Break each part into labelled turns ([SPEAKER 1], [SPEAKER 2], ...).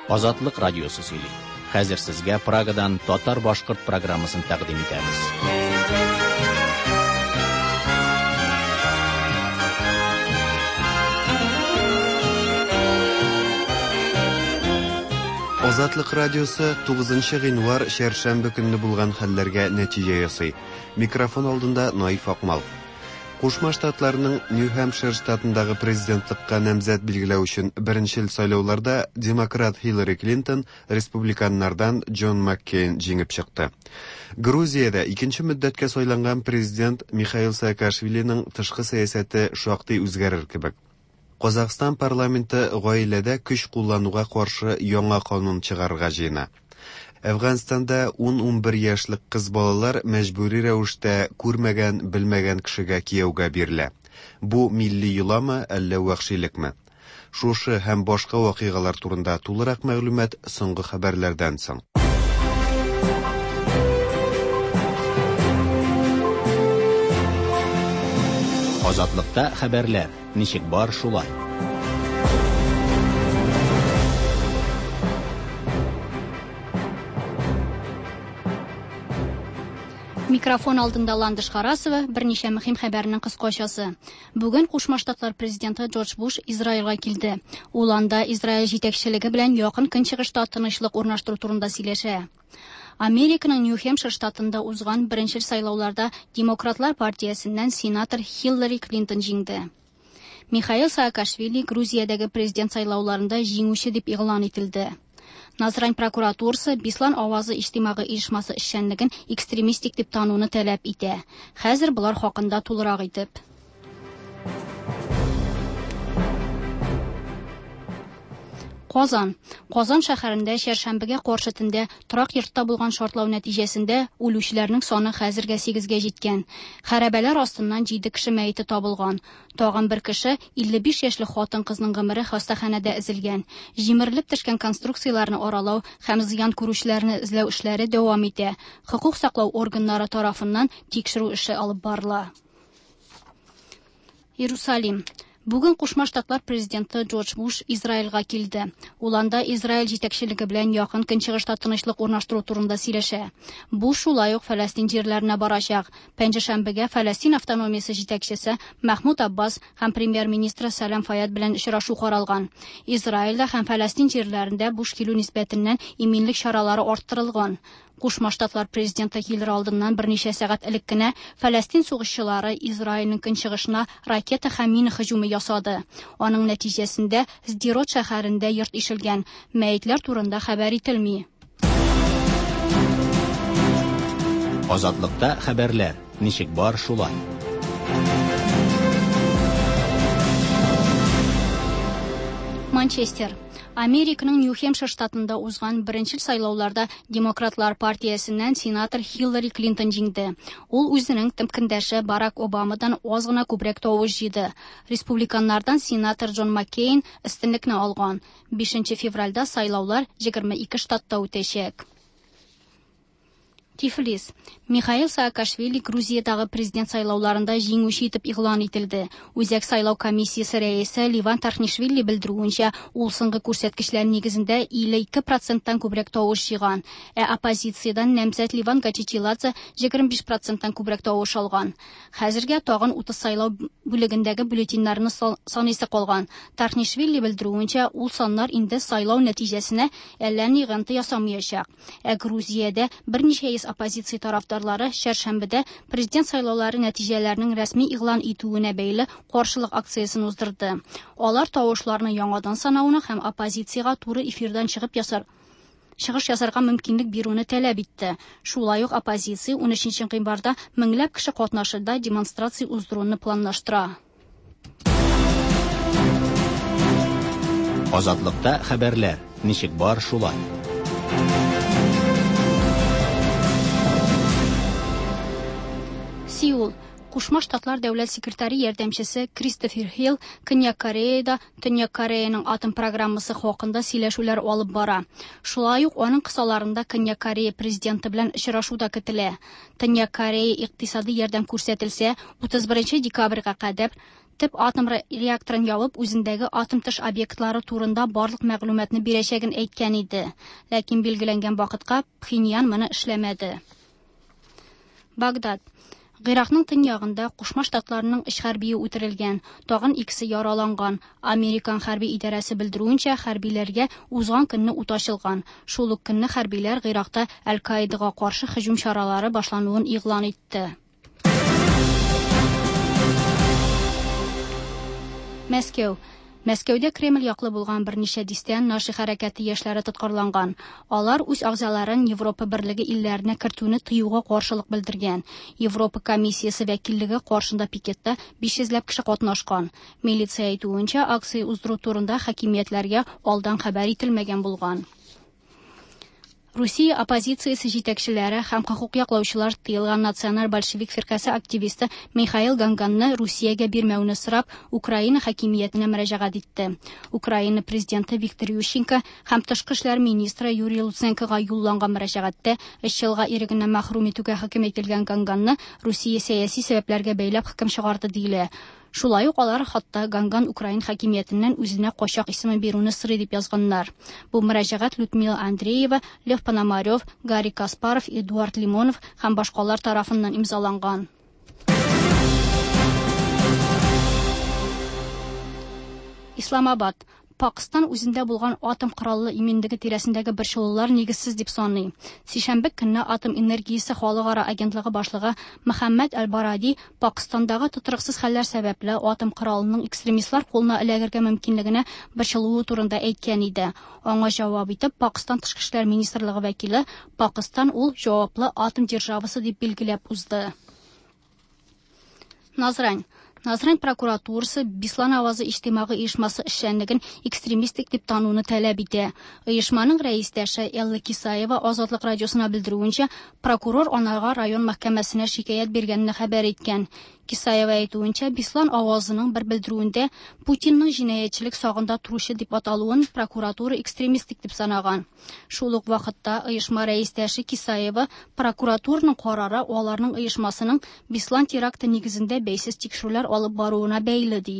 [SPEAKER 1] Азатлык радиосы сөйли. Хәзер сезгә Прагадан татар-башкорт программасын тәкъдим итәбез.
[SPEAKER 2] Азатлык радиосы 9 гыйнвар чәршәмбе көнне булган хәлләргә нәтиҗә ясый. Микрофон алдында Наиф Акмал. Кушма Штатларның Нью-Хэмпшир штатындагы президентлыкка намзәт билгеләү өчен беренчел сайлауларда демократ Хиллари Клинтон республиканнардан Джон Маккейн җиңеп чыкты. Грузиядә икенче мөддәткә сайланган президент Михаил Саакашвилиның тышкы сәясәте шактый үзгәрер кебек. Казахстан парламенты гаиләдә көч куллануга каршы яңа канун чыгарырга җыена. Әфганстанда 10-11 яшьлек кыз балалар мәҗбүри рәвештә күрмәгән, белмәгән кешегә кияүгә бирелә. Бу милли йоламы, әллә вәхшилекме? Шушы һәм башка вакыйгалар турында тулырак мәгълүмат соңгы хәбәрләрдән соң.
[SPEAKER 1] Азатлыкта хәбәрләр. Ничек бар, шулай.
[SPEAKER 3] Микрофон алдында Ландыш Харасова, берничә мөһим хәбәрнең кыскачасы. Бүген Кушма Штатлар президенты Джордж Буш Израильгә килде. Ул анда Израиль җитәкчелеге белән Якын Көнчыгышта тынычлык урнаштыру турында сөйләшә. Американың Нью-Хемпшир штатында узган беренчел сайлауларда Демократлар партиясеннән сенатор Хиллари Клинтон җиңде. Михаил Саакашвили Грузиядәге президент сайлауларында җиңүче дип игълан ителде. Назрань прокуратурасы Бислан авазы иҗтимагый оешмасы эшчәнлеген экстремистик дип тануны таләп итә. Хәзер болар хакында тулырак итеп. Казан. Казан шәһәрендә чәршәмбегә каршы төндә торак йортта булган шартлау нәтиҗәсендә үлүчеләрнең саны хәзергә 8-гә җиткән. Хәрабәләр астыннан 7 кеше мәете табылган. Тагын бер кеше, 55 яшьлек хатын-кызның гомере хастаханәдә өзелгән. Җимерелеп төшкән конструкцияләрне аралау һәм зыян күрүчеләрне эзләү эшләре дәвам итә. Хокук саклау органнары тарафыннан тикшерү эше алып барыла. Иерусалим. Бүген Кушма Штатлар президенты Джордж Буш Израильгә килде. Ул анда Израиль җитәкчелеге белән Якын Көнчыгышта тынычлык урнаштыру турында сөйләшә. Буш шулай ук Фәләстин җирләренә барачак. Пәнҗешәмбегә Фәләстин автономиясе җитәкчесе Мәхмүд Аббас һәм премьер-министры Сәлам Фаяд белән очрашу каралган. Израильдә һәм Фәләстин җирләрендә Буш килү нисбәтеннән иминлек чаралары арттырылган. Кушма Штатлар президенты килер алдыннан берничә сәгать элек кенә Фәләстин сугышчылары Израильнең көнчыгышына ракета һәм мина һөҗүме ясады. Аның нәтиҗәсендә Сдерот шәһәрендә йорт ишелгән. Мәетләр турында хәбәр ителми.
[SPEAKER 1] Азатлыкта хәбәрләр. Ничек бар, шулай.
[SPEAKER 3] Манчестер. Американың Нью-Хемпшир штатында узган беренчел сайлауларда Демократлар партиясеннән сенатор Хиллари Клинтон җиңде. Ул үзенең көндәше Барак Обамадан аз гына күбрәк тавыш җыйды. Республиканнардан сенатор Джон Маккейн өстенлекне алган. 5 февральдә сайлаулар 22 штатта үтәчәк. Тифлис. Михаил Саакашвили Грузиядагы президент сайлауларында җиңүче итеп игълан ителде. Үзәк сайлау комиссиясе рәисе Ливан Тархнишвили белдерүенчә, ул соңгы күрсәткечләр нигезендә 52%-тан күбрәк тавыш җыйган, ә оппозициядән намзәт Ливан Гачичиладзе 25%-тан күбрәк тавыш алган. Хәзергә тагын 30 сайлау бүлегендәге бюллетеньнәрне саныйсы калган. Тархнишвили белдерүенчә, ул саннар инде сайлау нәтиҗәсенә әллә ни йогынты ясамаячак. Ә Грузиядә берничә йөз оппозиция тарафдарлары чәршәмбедә президент сайлаулары нәтиҗәләренең рәсми игълан итүенә бәйле каршылык акциясен уздырды. Алар тавышларны яңадан санауны һәм оппозициягә туры эфирдан чыгып ясар чыгыш ясарга мөмкинлек бирүне таләп итте. Шулай ук оппозиция 13 гыйнварда меңләп кеше катнашында демонстрация уздыруны планлаштыра.
[SPEAKER 1] Азатлыкта хәбәрләр. Ничек бар, шулай.
[SPEAKER 3] Сеул. Кушма Штатлар дәүләт секретаре ярдәмчесе Кристофер Хилл Көньяк Кореяда Төньяк Кореяның атом программасы хакында сөйләшүләр алып бара. Шулай ук аның кысаларында Көньяк Корея президенты белән очрашу да көтелә. Төньяк Корея икътисади ярдәм күрсәтелсә, 31 декабрьгә кадәр Төп атом реакторын ябып, үзендәге атом тыш объектлары турында барлык мәгълүматны бирәчәген әйткән иде. Ләкин билгеләнгән вакытка Пхеньян моны эшләмәде. Багдад. Гыйракның төньягында Кушма Штатларның өч хәрбие үтерелгән, тагын икесе яраланган. Американ хәрби идарәсе белдерүенчә, хәрбиләргә узган көнне ут ачылган. Шул ук көнне хәрбиләр Гыйракта Әл-Каидага каршы һөҗүм чаралары башлануын игълан итте. Мәскәү. Мәскәүдә Кремль яклы булган берничә дистә Наши хәрәкәте яшьләре тоткарланган. Алар үз агзаларын Европа берлеге илләренә кертүне тыюга каршылык белдергән. Европа комиссиясе вәкиллеге каршында пикетта 500 ләп кеше катнашкан. Милиция әйтүенчә, акция уздыру турында хакимиятләргә алдан хәбәр ителмәгән булган. Русия оппозициясе җитәкчеләре һәм хокук яклаучылар тыелган Националь большевик фиркасе активисты Михаил Ганганны Русиягә бирмәүне сорап, Украина хакимиятенә мөрәҗәгать итте. Украина президенты Виктор Ющенко һәм тышкы эшләр министры Юрий Луценкога юлланган мөрәҗәгатьтә өч елга ирегеннән мәхрүм итүгә хөкем ителгән Ганганны Русия сәяси сәбәпләргә бәйләп хөкем чыгарды диелә. Шулай ук алар хатта Ганган украин хакимиятеннән үзенә качак исеме бирүне сорый дип язганнар. Бу мөрәҗәгать Людмила Андреева, Лев Пономарев, Гарри Каспаров, Эдуард Лимонов һәм башкалар тарафыннан имзаланган. Исламабад. Пакыстан үзендә булган атом кораллы иминлеге тирәсендәге борчылулар нигезсез дип саный. Сишәмбе көнне атом энергиясе халыкара агентлыгы башлыгы Мөхәммәд Әл-Баради Пакыстандагы тотрыксыз хәлләр сәбәпле атом коралының экстремистлар кулына эләгергә мөмкинлегенә борчылуы турында әйткән иде. Аңа җавап итеп Пакыстан тышкы эшләр министрлыгы вәкиле Пакыстан ул җаваплы атом державасы дип билгеләп узды. Назрань. Назрань прокуратурасы Бислан авазы иҗтимагый оешмасы эшчәнлеген экстремистик дип тануны таләп итә. Оешманың рәистәше Элла Кисаева Азатлык радиосына белдерүенчә, прокурор анарга район мәхкәмәсенә шикаять биргәнен хәбәр иткән. Кисаева әйтүенчә, Бислан авазының бер белдерүендә Путинның җинаятьчелек сагында торучы дип аталуын прокуратура экстремистик дип санаган. Шул ук вакытта оешма рәистәше Кисаева прокуратураның карары аларның оешмасының Бислан теракты нигезендә бәйсез тикшерүләр алып баруына бәйле ди.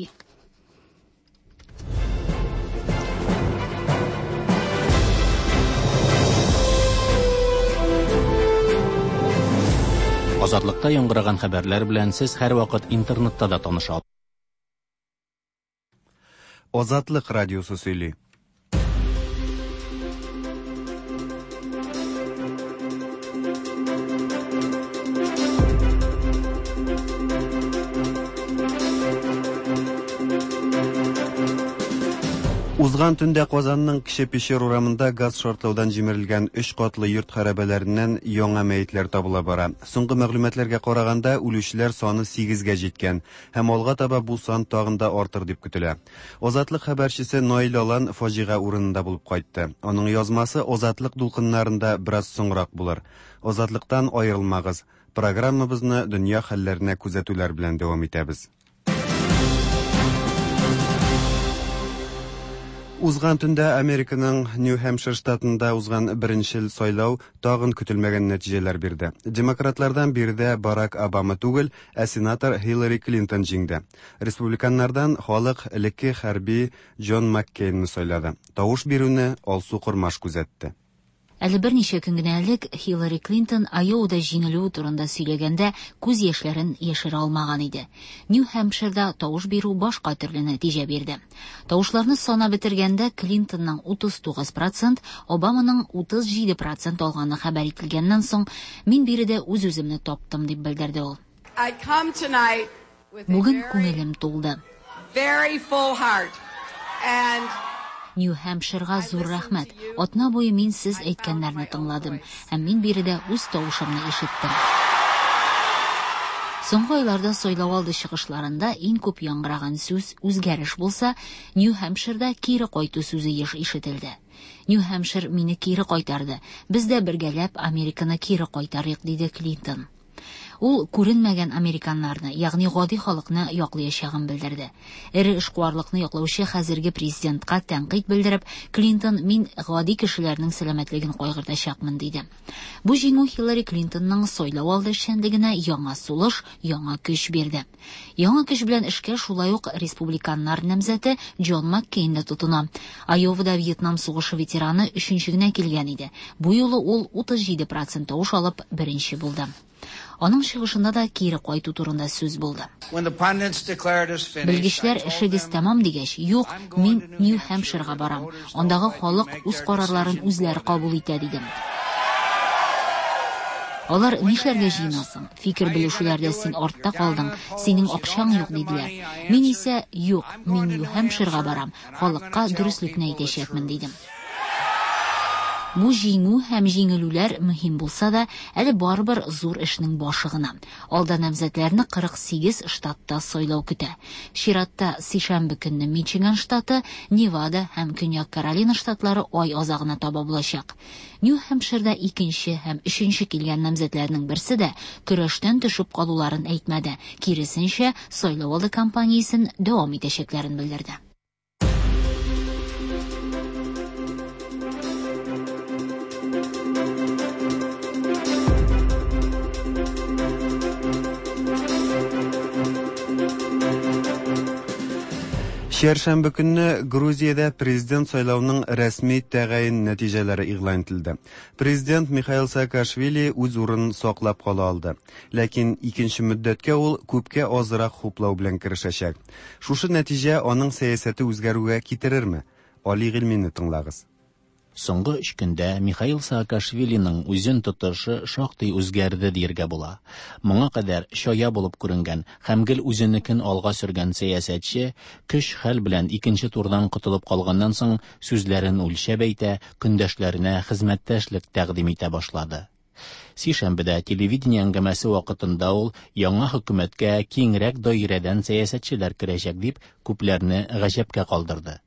[SPEAKER 1] Азатлыкта яңгыраган хәбәрләр белән сез һәрвакыт интернетта да таныша аласыз.
[SPEAKER 2] Азатлык радиосы сөйли. Узган төндә Казанның Кече Пещер урамында газ шартлаудан җимерелгән өч катлы йорт хәрабәләреннән яңа мәетләр табыла бара. Соңгы мәгълүматларга караганда, үлүчеләр саны 8-гә җиткән һәм алга таба бу сан тагын да артыр дип көтелә. Азатлык хәбәрчесе Наил Алан фаҗига урынында булып кайтты. Аның язмасы Азатлык дулкыннарында бераз соңрак булыр. Азатлыктан аерылмагыз. Программабызны дөнья хәлләренә күзәтүләр белән дәвам итәбез. Узган төндә Американың Нью-Хэмпшир штатында узган беренчел сайлау тагын көтелмәгән нәтиҗәләр бирде. Демократлардан биредә Барак Обама түгел, ә сенатор Хиллари Клинтон җиңде. Республиканнардан халык элекке хәрби Джон Маккейнны сайлады. Тавыш бирүне Алсу Кормаш күзәтте.
[SPEAKER 4] Әле берничә көн генә элек Хиллари Клинтон Айовада җиңелүе турында сөйләгәндә күз яшьләрен яшерә алмаган иде. Нью-Хэмпширда тавыш бирү башка төрле нәтиҗә бирде. Тавышларны санап бетергәндә Клинтонның 39%, Обаманың 37% алганы хәбәр ителгәннән соң, мин биредә үз-үземне таптым дип белдерде ул. Бүген күңелем тулды.
[SPEAKER 5] Very full heart. And
[SPEAKER 4] Нью-Хэмпширга зур рәхмәт. Атна буе мин сез әйткәннәрне тыңладым, һәм мин биредә үз тавышымны ишеттем. Соңгы айларда сайлау алды чыгышларында иң күп яңгыраган сүз үзгәреш булса, Нью-Хэмпширда кире кайту сүзе еш ишетелде. Нью-Хэмпшир мине кире кайтарды. Без дә бергәләп Американы кире кайтарыйк, диде Клинтон. Ул күренмәгән американнарны, ягъни гади халыкны яклаячагын белдерде. Эре эшкуарлыкны яклаучы хәзерге президентка тәнкыйть белдереп, Клинтон мин гади кешеләрнең сәламәтлеген кайгыртачакмын диде. Бу җиңү Хиллари Клинтонның сайлау алды эшчәнлегенә яңа сулыш, яңа көч бирде. Яңа көч белән эшкә шулай ук республиканнар намзәте Джон Маккейн дә тотына. Айовада Вьетнам сугышы ветераны өченче генә килгән иде. Бу юлы ул 37% тавыш алып беренче булды. Аның чыгышында да кире кайту турында сүз булды. Белгечләр эшегез тәмам дигәч, юк, мин Нью-Хэмпширга барам. Андагы халык үз карарларын үзләре кабул итә, дидем. Алар нишләргә җыенасың? Фикер белешүләрдә син артта калдың, синең акчаң юк, диделәр. Мин исә, юк, мин Нью-Хэмпширга барам, халыкка дөреслекне әйтәчәкмен, дидем. Бу җиңү һәм җиңелүләр мөһим булса да, әле барыбер зур эшнең башы гына. Алда намзәтләрне 48 штатта сайлау көтә. Чиратта сишәмбе көнне Мичиган штаты, Невада һәм Көньяк Каролина штатлары ай азагына таба булачак. Нью-Хэмпширда икенче һәм өченче килгән намзәтләрнең берсе дә көрәштән төшеп калуларын әйтмәде. Киресенчә, сайлау алды кампаниясен дәвам итәчәкләрен белдерде.
[SPEAKER 2] Чәршәмбе көнне Грузиядә президент сайлауның рәсми тәгаен нәтиҗәләре игълан ителде. Президент Михаил Саакашвили үз урынын саклап кала алды. Ләкин икенче мөддәткә ул күпкә азрак хуплау белән керешәчәк. Шушы нәтиҗә аның сәясәте үзгәрүгә китерерме? Али Гыйльмине тыңлагыз.
[SPEAKER 1] Соңгы өч көндә Михаил Саакашвилиның үзен тотышы шактый үзгәрде дияргә була. Моңа кадәр чая булып күренгән һәм гел үзенекен алга сөргән сәясәтче көч-хәл белән икенче турдан котылып калганнан соң сүзләрен үлчәп әйтә, көндәшләренә хезмәттәшлек тәкъдим итә башлады. Сишәмбедә телевидение әңгәмәсе вакытында ул яңа хөкүмәткә киңрәк даирәдән сәясәтчеләр керәчәк дип күпләрне гаҗәпкә калдырды.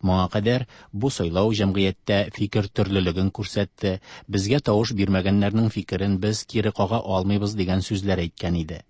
[SPEAKER 1] Моңа кадәр бу сайлау җәмгыятьтә фикер төрлелеген күрсәтте, безгә тавыш бирмәгәннәрнең фикерен без кире кага алмыйбыз дигән сүзләр әйткән иде.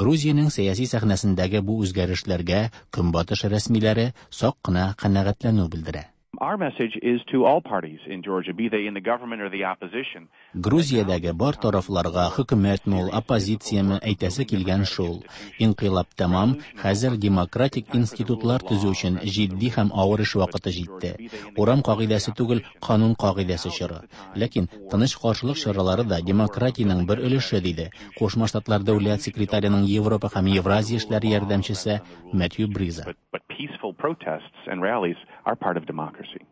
[SPEAKER 1] Грузиянең сәяси сәхнәсендәге бу үзгәрешләргә Көнбатыш рәсмиләре сак кына канәгатьләнү белдерә.
[SPEAKER 6] Our message is to all parties in Georgia, be they in the government or the opposition.
[SPEAKER 1] Грузиядәге бар тарафларга хөкүмәтме ул, оппозицияме әйтәсе килгән шул. Инкыйлаб тәмам, хәзер демократик институтлар төзү өчен җитди һәм авыр эш вакыты җитте. Урам кагыйдәсе түгел, канун кагыйдәсе чоры. Ләкин тыныч каршылык чаралары да демократиянең бер өлеше, диде Кушма Штатлар дәүләт секретареның Европа һәм Евразия эшләре ярдәмчесе Мэтью Бриза.
[SPEAKER 6] But peaceful protests and rallies are part of democracy.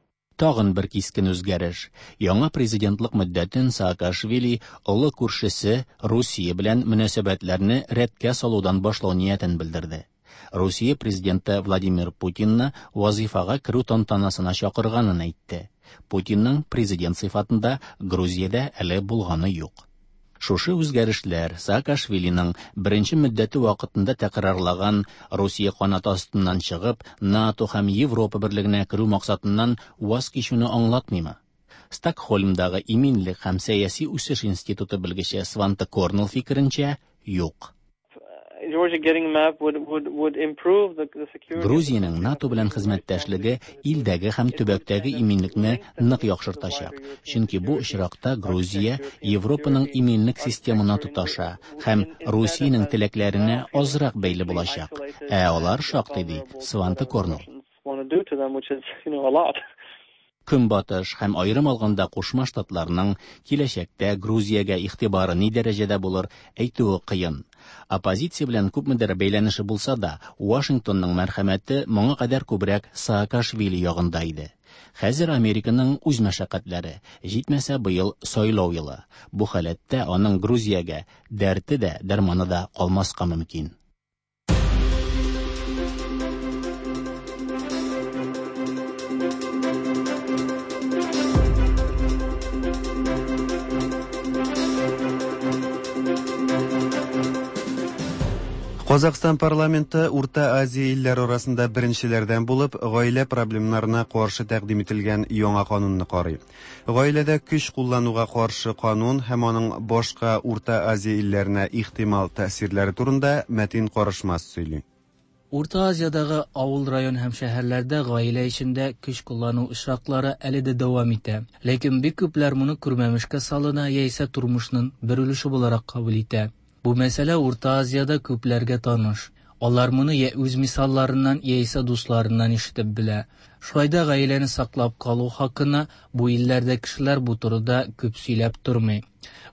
[SPEAKER 1] Тагын бер кискен үзгәреш. Яңа президентлык мөддәтен Саакашвили олы күршесе Русия белән мөнәсәбәтләрне рәткә салудан башлау ниятен белдерде. Русия президенты Владимир Путинны вазифага керү тантанасына чакырганын әйтте. Путинның президент сыйфатында Грузиядә әле булганы юк. Шушы үзгәрешләр Саакашвилиның беренче мөддәте вакытында тәкрарлаган Русия канаты астыннан чыгып, НАТО һәм Европа берлегенә керү максатыннан ваз кичүне аңлатмыймы? Стокһольмдагы иминлек һәм сәяси үсеш институты белгече Сванте Корнелл фикеренчә, юк. Грузиянең НАТО белән хезмәттәшлеге илдәге һәм төбәктәге иминлекне нык яхшыртачак. Чөнки бу очракта Грузия Европаның иминлек системына тоташа һәм Русиянең теләкләренә азрак бәйле булачак. Ә алар шактый, ди Сванте Корнелл. Көнбатыш һәм аерым алганда Кушма Штатларның киләчәктә Грузиягә игътибары ни дәрәҗәдә булыр, әйтүе кыен. Оппозиция белән күпмедер бәйләнеше булса да, Вашингтонның мәрхәмәте моңа кадәр күбрәк Саакашвили ягында иде. Хәзер Американың үз мәшәкатьләре, җитмәсә быел сайлау елы. Бу халәттә аның Грузиягә дәрте дә, дәрманы да калмаска мөмкин.
[SPEAKER 2] Казахстан парламенты Урта Азия илләре арасында беренчеләрдән булып гаилә проблемнарына каршы тәкъдим ителгән яңа канунны карый. Гаиләдә көч куллануга каршы канун һәм аның башка Урта Азия илләренә ихтимал тәэсирләре турында Мәтин Карышмас сөйли.
[SPEAKER 7] Урта Азиядагы авыл, район һәм шәһәрләрдә гаилә эчендә көч куллану очраклары әле дә дәвам итә. Ләкин бик күпләр моны күрмәмешкә салына яисә тормышның бер өлеше буларак кабул итә. Бу мәсьәлә Урта Азиядә күпләргә таныш. Алар моны я үз мисалларыннан, яисә дусларыннан ишетеп белә. Шулай да гаиләне саклап калу хакына бу илләрдә кешеләр бу турыда күп сөйләп тормый.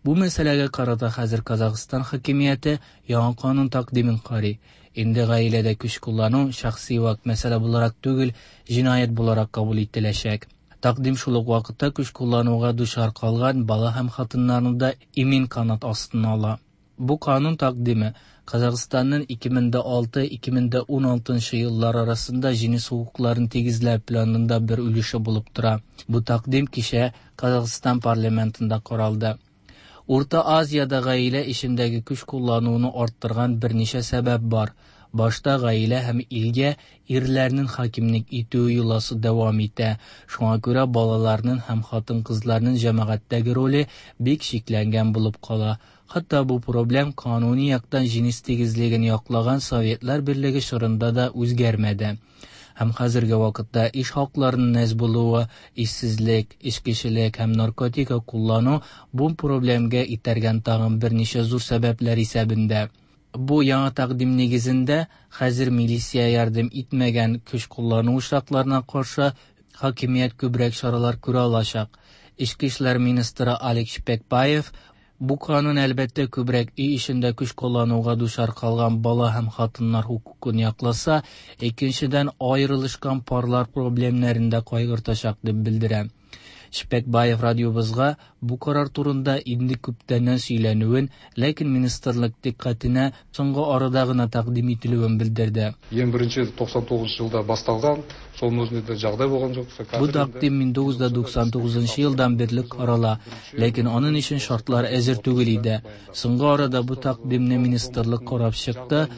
[SPEAKER 7] Бу мәсьәләгә карата хәзер Казахстан хакимияте яңа канун тәкъдимен карый. Инде гаиләдә көч куллану шәхси вак мәсьәлә буларак түгел, җинаять буларак кабул ителәчәк. Тәкъдим шул ук вакытта көч куллануга дучар калган бала һәм хатыннарны да имин канат астына ала. Бу канун тәкъдиме Казахстанның 2006-2016 еллар арасында җенес хокукларын тигезләү планында бер өлеше булып тора. Бу тәкъдим кичә Казахстан парламентында каралды. Урта Азиядә гаилә эчендәге көч куллануны арттырган берничә сәбәп бар. Башта гаилә һәм илгә ирләрнең хакимлек итүе йоласы дәвам итә. Шуңа күрә балаларның һәм хатын-кызларның җәмәгатьтәге роле бик чикләнгән булып кала. Хәтта бу проблем кануни яктан җенес тигезлеген яклаган Советлар Берлеге чорында да үзгәрмәде. Һәм хәзерге вакытта эш хакларының әз булуы, эшсезлек, эчкечелек һәм наркотика куллану бу проблемга этәргән тагын берничә зур сәбәпләр исәбендә. Бу яңа тәкъдим нигезендә хәзер милиция ярдәм итмәгән көч куллану очракларына каршы хакимият күбрәк чаралар күрә алачак. Эчке эшләр министры Алик Шпекбаев бу канун әлбәттә күбрәк өй эчендә көч куллануга дучар калган бала һәм хатыннар хокукын якласа, икенчедән аерылышкан парлар проблемнарын да кайгыртачак дип белдерә. Шпекбаев радиобызга бу карар турында инде күптәннән сөйләнүен, ләкин министрлык дикъкатенә соңгы арада гына тәкъдим ителүен белдерде.
[SPEAKER 8] Ең бірінші 99 жылда басталған, соның өзінде де жағдай болған жоқ.
[SPEAKER 7] Бу тәкъдим 1999 елдан бирле карала, ләкин аның өчен шартлар әзер түгел иде. Соңгы арада бу тәкъдимне министрлык карап чыкты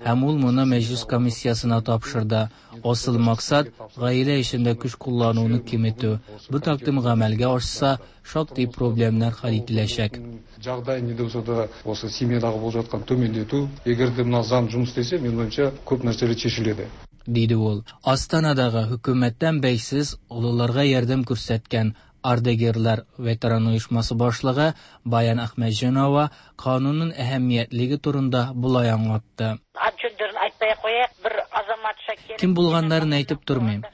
[SPEAKER 7] һәм ул моны мәҗлис комиссиясенә тапшырды. Асыл максат гаилә эчендә көч куллануны киметү. Бу тәкъдим гамәлгә ашса, шактый проблемнар хәл ителәчәк.
[SPEAKER 8] Жағдай не де болса да осы семьядағы болып жатқан төмендету, егер де мына заң жұмыс істесе, менің ойымша, көп нәрселер шешіледі.
[SPEAKER 7] Диде ул. Астанадагы хөкүмәттән бәйсез олыларга ярдәм күрсәткән Ардагерлар ветеран оешмасы башлыгы Баян Әхмәтҗанова канунның әһәмиятлеге турында болай аңлатты. Кем булганнарын әйтеп тормыйм.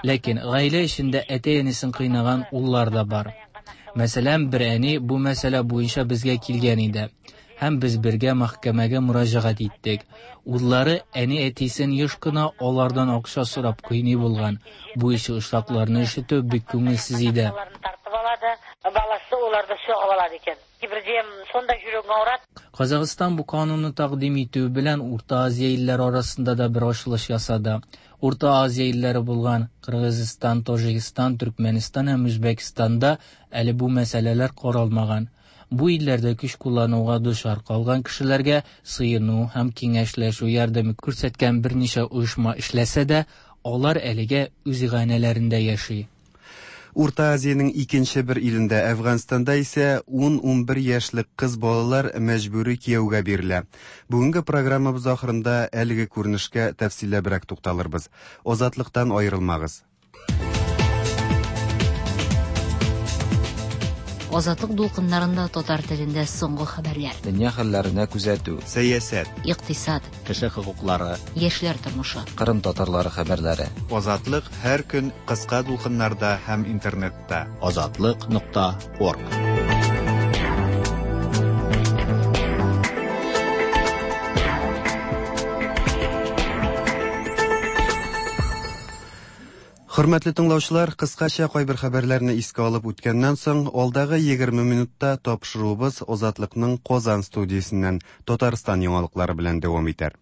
[SPEAKER 7] Ләкин гаилә эчендә әти-әнисен кыйнаган уллар да бар. Мәсәлән, бер әни бу мәсьәлә буенча безгә килгән иде. Һәм без бергә мәхкәмәгә мөрәҗәгать иттек. Уллары әни әтисен еш кына алардан акча сорап кыйный булган. Бу ише очракларны ишетү бик күңелсез иде.
[SPEAKER 9] Баласы оларды соғып алады екен. Кейбірде сондай жүрегің ауырады.
[SPEAKER 7] Казахстан бу канунны тәкъдим итү белән Урта Азия илләре арасында да бер ачылыш ясады. Урта Азия илләре булган Кыргызстан, Таҗикстан, Төркмәнстан һәм Үзбәкстанда әле бу мәсьәләләр каралмаган. Бу илләрдә көч куллануга дучар калган кешеләргә сыену һәм киңәшләшү ярдәме күрсәткән берничә оешма эшләсә дә, алар әлегә үз гаиләләрендә яши.
[SPEAKER 2] Урта Азиянең икенче бер илендә, Әфганстанда исә 10-11 яшьлек кыз балалар мәҗбүри кияүгә бирелә. Бүгенге программабыз ахырында әлеге күренешкә тәфсилләбрәк тукталырбыз. Азатлыктан аерылмагыз.
[SPEAKER 4] Азатлык дулкыннарында татар телендә соңгы хәбәрләр.
[SPEAKER 10] Дөнья хәлләренә күзәтү.
[SPEAKER 2] Сәясәт.
[SPEAKER 4] Икътисад.
[SPEAKER 1] Кеше хокуклары.
[SPEAKER 4] Яшьләр тормышы.
[SPEAKER 10] Кырым татарлары хәбәрләре.
[SPEAKER 2] Азатлык һәр көн кыска дулкыннарда һәм интернетта.
[SPEAKER 1] Азатлык.орг.
[SPEAKER 2] Хөрмәтле тыңлаучылар, кыскача кайбер хәбәрләрне искә алып үткәннән соң, алдагы 20 минутта тапшыруыбыз Азатлыкның Казан студиясеннән Татарстан яңалыклары белән дәвам итәр.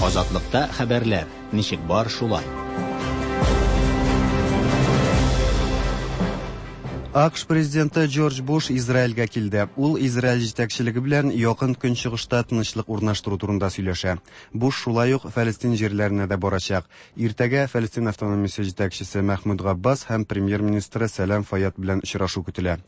[SPEAKER 1] Азатлыкта хәбәрләр ничек бар шулай.
[SPEAKER 2] АКШ президенты Джордж Буш Израильгә килде. Ул Израиль җитәкчелеге белән Якын Көнчыгышта тынычлык урнаштыру турында сөйләшә. Буш шулай ук Фәлестин җирләренә дә барачак. Иртәгә Фәлестин автономиясе җитәкчесе Мәхмүд Габбас һәм премьер-министры Сәлам Файяд белән очрашу көтелә.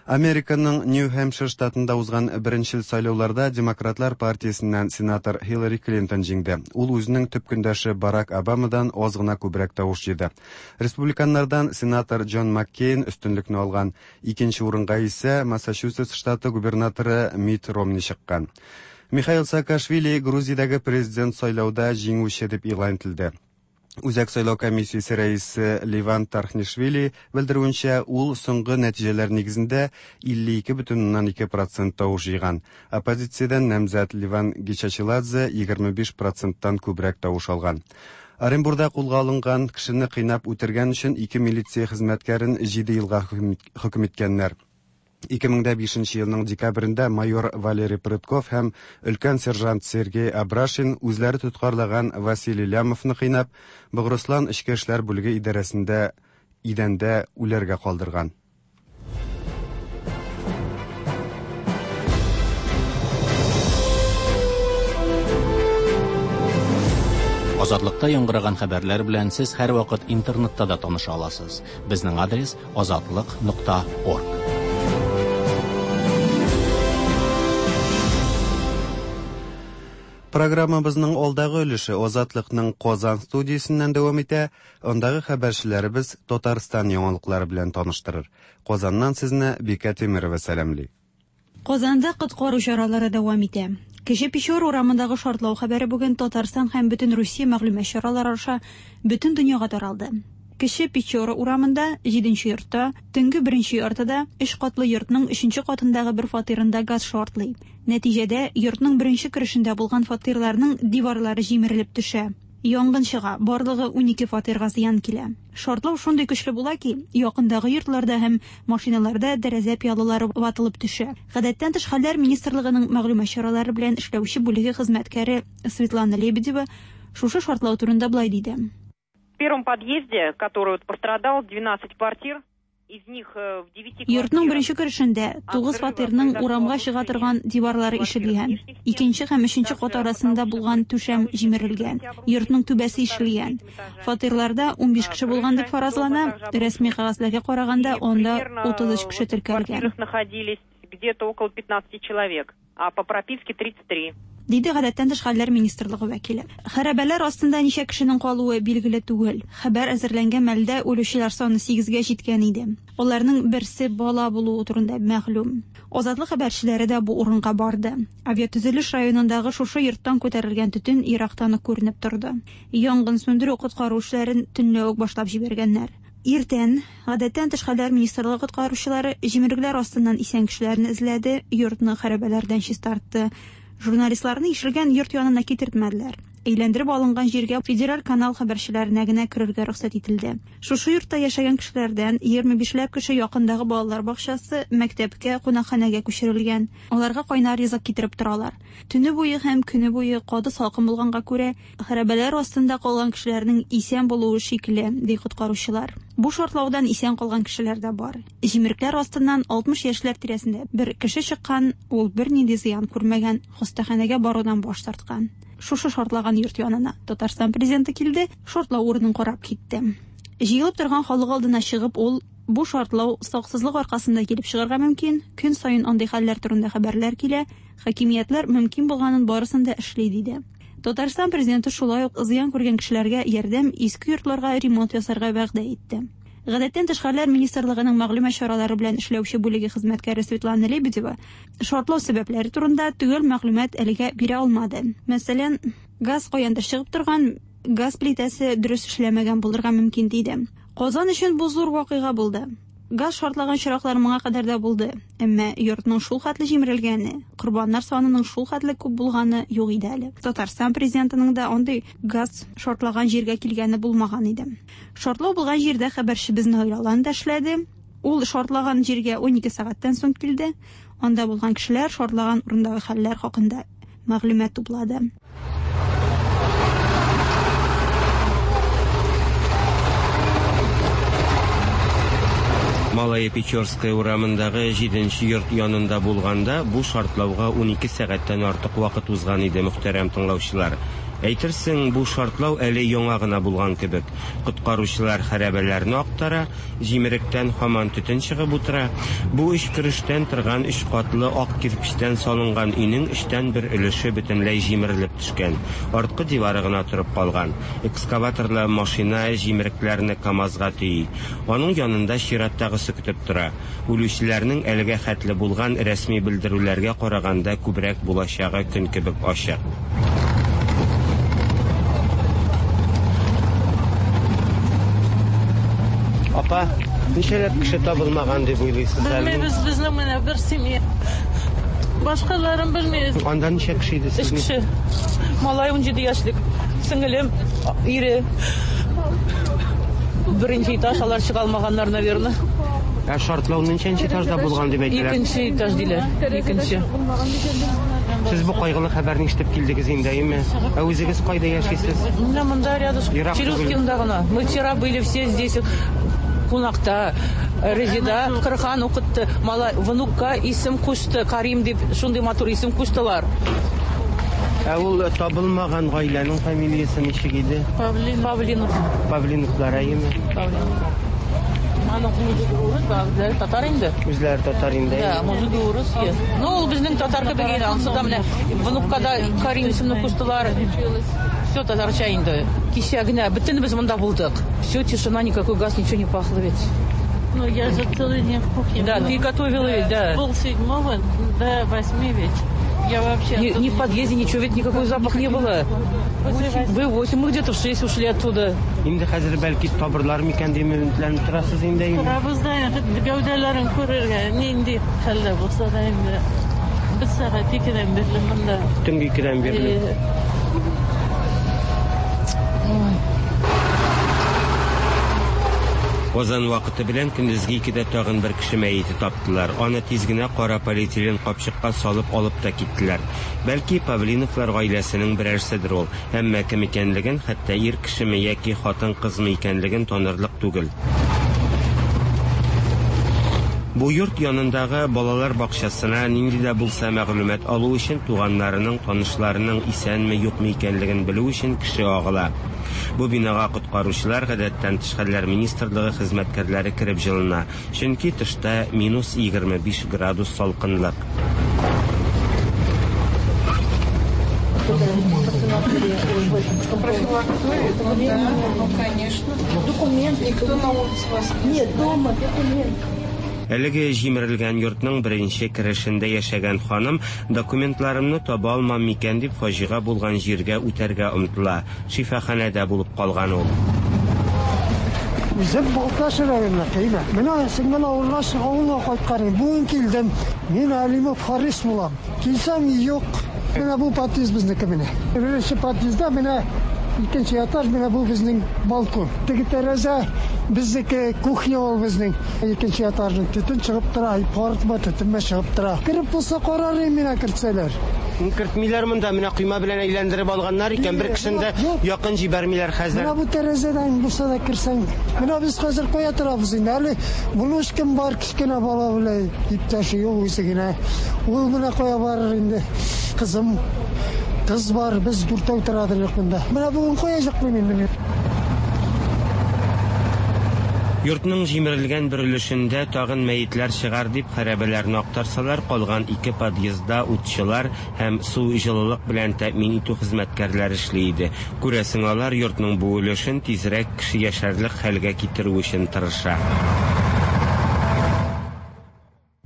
[SPEAKER 2] Американың Нью-Хэмпшир штатында узган беренчел сайлауларда Демократлар партиясеннән сенатор Хиллари Клинтон җиңде. Ул үзенең төп көндәше Барак Обамадан аз гына күбрәк тавыш җыйды. Республиканнардан сенатор Джон Маккейн өстенлекне алган. Икенче урынга исә Массачусетс штаты губернаторы Митт Ромни чыккан. Михаил Саакашвили Грузиядәге президент сайлауда җиңүче дип игълан ителде. Үзәк сайлау комиссиясе рәисе Леван Тархнишвили белдерүенчә, ул соңгы нәтиҗәләр нигезендә 52,2 процент тавыш җыйган. Оппозициядән намзәт Леван Гечачиладзе 25 проценттан күбрәк тавыш алган. Оренбурда кулга алынган кешене кыйнап үтергән өчен ике милиция хезмәткәрен 7 елга хөкем иткәннәр. 2005 елның декабрендә майор Валерий Прытков һәм өлкән сержант Сергей Абрашин үзләре тоткарлаган Василий Лямовны кыйнап, Богырыслан эчке эшләр бүлеге идарәсендә идәндә үләргә калдырган.
[SPEAKER 1] Азатлыкта яңгыраган хәбәрләр белән сез һәрвакыт интернетта да таныша аласыз. Безнең адрес азатлык.орг.
[SPEAKER 2] Программабызның алдагы өлеше Азатлыкның Казан студиясеннән дәвам итә. Андагы хәбәрчеләребез Татарстан яңалыклары белән таныштырыр. Казаннан сезне Бикә Тимерова сәламли.
[SPEAKER 11] Казанда коткару чаралары дәвам итә. Кече Печора урамындагы шартлау хәбәре бүген Татарстан һәм бөтен Русия мәгълүмат чаралары аша бөтен дөньяга таралды. Кече Печора урамында, 7 йортта, төнге 1 яртыда өч катлы йортның 3 катындагы бер фатирында газ шартлый. Нәтиҗәдә, йортның беренче керешендә булган фатирларның диварлары җимерелеп төшә. Янгын чыга, барлыгы 12 фатирга зыян килә. Шартлау шундый көчле була ки, якындагы йортларда һәм машиналарда тәрәзә пыялалары ватылып төшә. Гадәттән тыш хәлләр министрлыгының мәгълүмат чаралары белән эшләүче бүлеге хезмәткәре Светлана Лебедева шушы шартлау турында болай диде.
[SPEAKER 12] В первом подъезде, который вот пострадал, 12 квартир, из них в 9
[SPEAKER 11] Йортның беренче керешендә 9 фатирның урамга чыга торган диварлары ишелгән. Икенче һәм өченче кат арасында булган түшәм җимерелгән. Йортның түбәсе ишелгән. Фатирларда 15 кеше булган дип фаразлана. Рәсми кәгазьләргә караганда, анда 33 кеше теркәлгән.
[SPEAKER 12] Находились где-то около 15 человек, а по прописке 33.
[SPEAKER 11] Диде гадәттән тыш хәлләр министрлыгы вәкиле. Хәрабәләр астында ничә кешенең калуы билгеле түгел. Хәбәр әзерләнгән мәлдә үлүчеләр саны 8-гә җиткән иде. Аларның берсе бала булуы турында мәгълүм. Азатлык хәбәрчеләре дә бу урынга барды. Авиатөзелеш районындагы шушы йорттан күтәрелгән төтен ерактан ук күренеп торды. Янгын сүндерү коткару эшләрен төнлә үк башлап җибәргәннәр. Иртән гадәттән тыш хәлләр министрлыгы коткаручылары җимерекләр астыннан исән кешеләрне эзләде, йортны хәрабәләрдән чистартты. Журналистларны ишелгән йорт янына китермәделәр. Әйләндереп алынган җиргә федераль канал хәбәрчеләренә генә керергә рөхсәт ителде. Шушы йортта яшәгән кешеләрдән 25ләп кеше якындагы балалар бакчасы, мәктәпкә, кунакханәгә күчерелгән. Аларга кайнар ризык китереп торалар. Төне буе һәм көне буе каты салкын булганга күрә, хәрабәләр астында калган кешеләрнең исән булуы шикле, ди коткаручылар. Бу шартлаудан исән калган кешеләр дә бар. Җимерекләр астыннан 60 яшьләр тирәсендә бер кеше чыккан, ул бернинди зыян күрмәгән, хастаханәгә барудан баш тарткан. Шушы шартлаган йорт янына Татарстан президенты килде, шартлау урынын карап китте. Җыелып торган халык алдына чыгып, ул бу шартлау саксызлык аркасында килеп чыгарга мөмкин, көн саен андый хәлләр турында хәбәрләр килә, хакимиятләр мөмкин булганын барысын да эшли, диде. Татарстан президенты шулай ук зыян күргән кешеләргә ярдәм, иске йортларга ремонт ясарга вәгъдә итте. Гадәттән тыш хәлләр министрлыгының мәгълүмат чаралары белән эшләүче бүлеге хезмәткәре Светлана Лебедева шартлау сәбәпләре турында төгәл мәгълүмат әлегә бирә алмады. Мәсәлән, газ каяндыр чыгып торган, газ плитәсе дөрес эшләмәгән булырга мөмкин диде. Казан өчен бу зур вакыйга булды. Газ шартлаган очраклар моңа кадәр дә булды, әмма йортның шул хәтле җимерелгәне, корбаннар санының шул хәтле күп булганы юк иде әле. Татарстан президентының да андый газ шартлаган җиргә килгәне булмаган иде. Шартлау булган җирдә хәбәрчебез Наил Алан да эшләде. Ул шартлаган җиргә 12 сәгатьтән соң килде. Анда булган кешеләр шартлаган урындагы хәлләр хакында мәгълүмат туплады.
[SPEAKER 13] Малая Печорская урамындагы 7 йорт янында булганда бу шартлауга 12 сәгатьтән артык вакыт узган иде, мөхтәрәм тыңлаучылар. Әйтерсең, бу шартлау әле яңа гына булган кебек. Коткаручылар хәрабәләрне актара, җимеректән һаман төтен чыгып утыра. Бу өч керештән торган өч катлы ак кирпечтән салынган өйнең өчтән бер өлеше бөтенләй җимерелеп төшкән. Арткы дивары гына торып калган. Экскаваторлы машина җимерекләрне КАМАЗга төйи. Аның янында чираттагысы көтеп тора. Үлүчеләрнең әлегә хәтле булган рәсми белдерүләргә караганда күбрәк булачагы көн кебек ачык.
[SPEAKER 14] Апа, ничәләп кеше табылмаган дип уйлыйсыз әле?
[SPEAKER 15] Белмибез, безнең менә бер семья. Башкаларын белмибез.
[SPEAKER 14] Анда ничә кеше иде
[SPEAKER 15] Өч
[SPEAKER 14] сезнең?
[SPEAKER 15] кеше. Малай 17 яшьлек. Сеңелем, ире. Беренче этаж, алар чыга алмаганнар, наверное.
[SPEAKER 14] Ә шартлау ничәнче этажда булган дип әйтәләр?
[SPEAKER 15] Икенче этаж диләр. Икенче.
[SPEAKER 14] Сез бу кайгылы хәбәрне ишетеп килдегез инде, әйеме? Ә үзегез кайда яшисез?
[SPEAKER 15] Менә монда рядышком.
[SPEAKER 14] Ерак түгел.
[SPEAKER 15] Челюскинда гына. Мы вчера были все здесь. Кунакта. Резида Кырхан укытты. Малай внукка исем кушты. Карим дип шундый матур исем куштылар.
[SPEAKER 14] Ә ул табылмаган гаиләнең фамилиясе ничек иде?
[SPEAKER 15] Павлинов.
[SPEAKER 14] Павлиновлар, әйеме?
[SPEAKER 15] Павлинов. Аның мужигы урыс, ә үзләре татар инде.
[SPEAKER 14] Үзләре татар инде.
[SPEAKER 15] Да,
[SPEAKER 14] әйеме?
[SPEAKER 15] мужигы урыс. е. Ну, ул безнең татар кебек инде. Ансы да менә внукка да Карим исемне куштылар. Все татарча инде. Кичә генә бөтенебез монда булдык. Все, тишина, никакой газ, ничего не пахло ведь.
[SPEAKER 16] Ну, я же целый день в кухне.
[SPEAKER 15] Да,
[SPEAKER 16] была.
[SPEAKER 15] ты готовила ведь, да.
[SPEAKER 16] С 6:30 до 8 вечера. Я вообще...
[SPEAKER 15] Ни,
[SPEAKER 16] оттуда
[SPEAKER 15] ни в подъезде ничего, ведь никакой запах не было. Вы 8, мы где-то в 6 ушли оттуда.
[SPEAKER 14] Инде хәзер бәлки табырлар микән дип өметләнеп торасыз инде, әйеме?
[SPEAKER 16] Торабыз да инде, гәүдәләрен күрергә, нинди хәлдә булса да инде. Без сәгать 2-дән бирле монда.
[SPEAKER 14] Төнге 2-дән бирле.
[SPEAKER 13] Казан вакыты белән көндезге 2-дә тагын бер кеше мәете таптылар. Аны тиз генә кара полиэтилен капчыкка салып алып та киттеләр. Бәлки Павлиновлар гаиләсенең берәрседер ул. Әмма кем икәнлеген, хәтта ир кешеме яки хатын-кызмы икәнлеген танырлык түгел. Бу йорт янындагы балалар бакчасына нинди дә булса мәгълүмат алу өчен туганнарының, танышларының исәнме, юкмы икәнлеген белү өчен кеше агыла. Бу бинага коткаручылар, гадәттән тыш хәлләр министрлыгы хезмәткәрләре кереп җылына. Чөнки тышта минус 25 градус салкынлык.
[SPEAKER 16] Ну, конечно. Документ. Никто на улице вас Нет, дома документ.
[SPEAKER 13] Әлеге җимерелгән йортның беренче керешендә яшәгән ханым документларымны таба алмам микән дип фаҗига булган җиргә үтәргә омтыла. Шифаханәдә булып калган ул.
[SPEAKER 17] Үзем Балтач районына килә. Менә сеңгән авылга авылга кайткан идем. Бүген килдем. Мин Алимов Харис булам. Килсәм юк. Менә бу подъезд безнеке менә. Беренче подъездда менә икенче этаж, менә бу безнең балкон. Теге тәрәзә безнеке, кухня ул безнең. Икенче этажның төтен чыгып тора, пар төтенмә чыгып тора. Кереп булса карар идем менә кертсәләр.
[SPEAKER 14] Кертмиләр монда, менә койма белән әйләндереп алганнар икән, бер кешене дә якын җибәрмиләр хәзер.
[SPEAKER 17] Менә бу тәрәзәдән булса да керсәң. Менә без хәзер кая торабыз инде. Әле внучкам бар, кечкенә бала белән иптәше юк үзе генә. Ул менә кая барыр инде. Кызым, кыз бар, без дүртәү торадыр монда. Менә бүген кая чыкмыйм инде мин.
[SPEAKER 13] Йортның җимерелгән бер өлешендә тагын мәетләр чыгар дип хәрабәләрне актарсалар, калган ике подъездда утчылар һәм су җылылык белән тәэмин итү хезмәткәрләре эшли иде. Күрәсең, алар йортның бу өлешен тизрәк кеше яшәрлек хәлгә китерү өчен тырыша.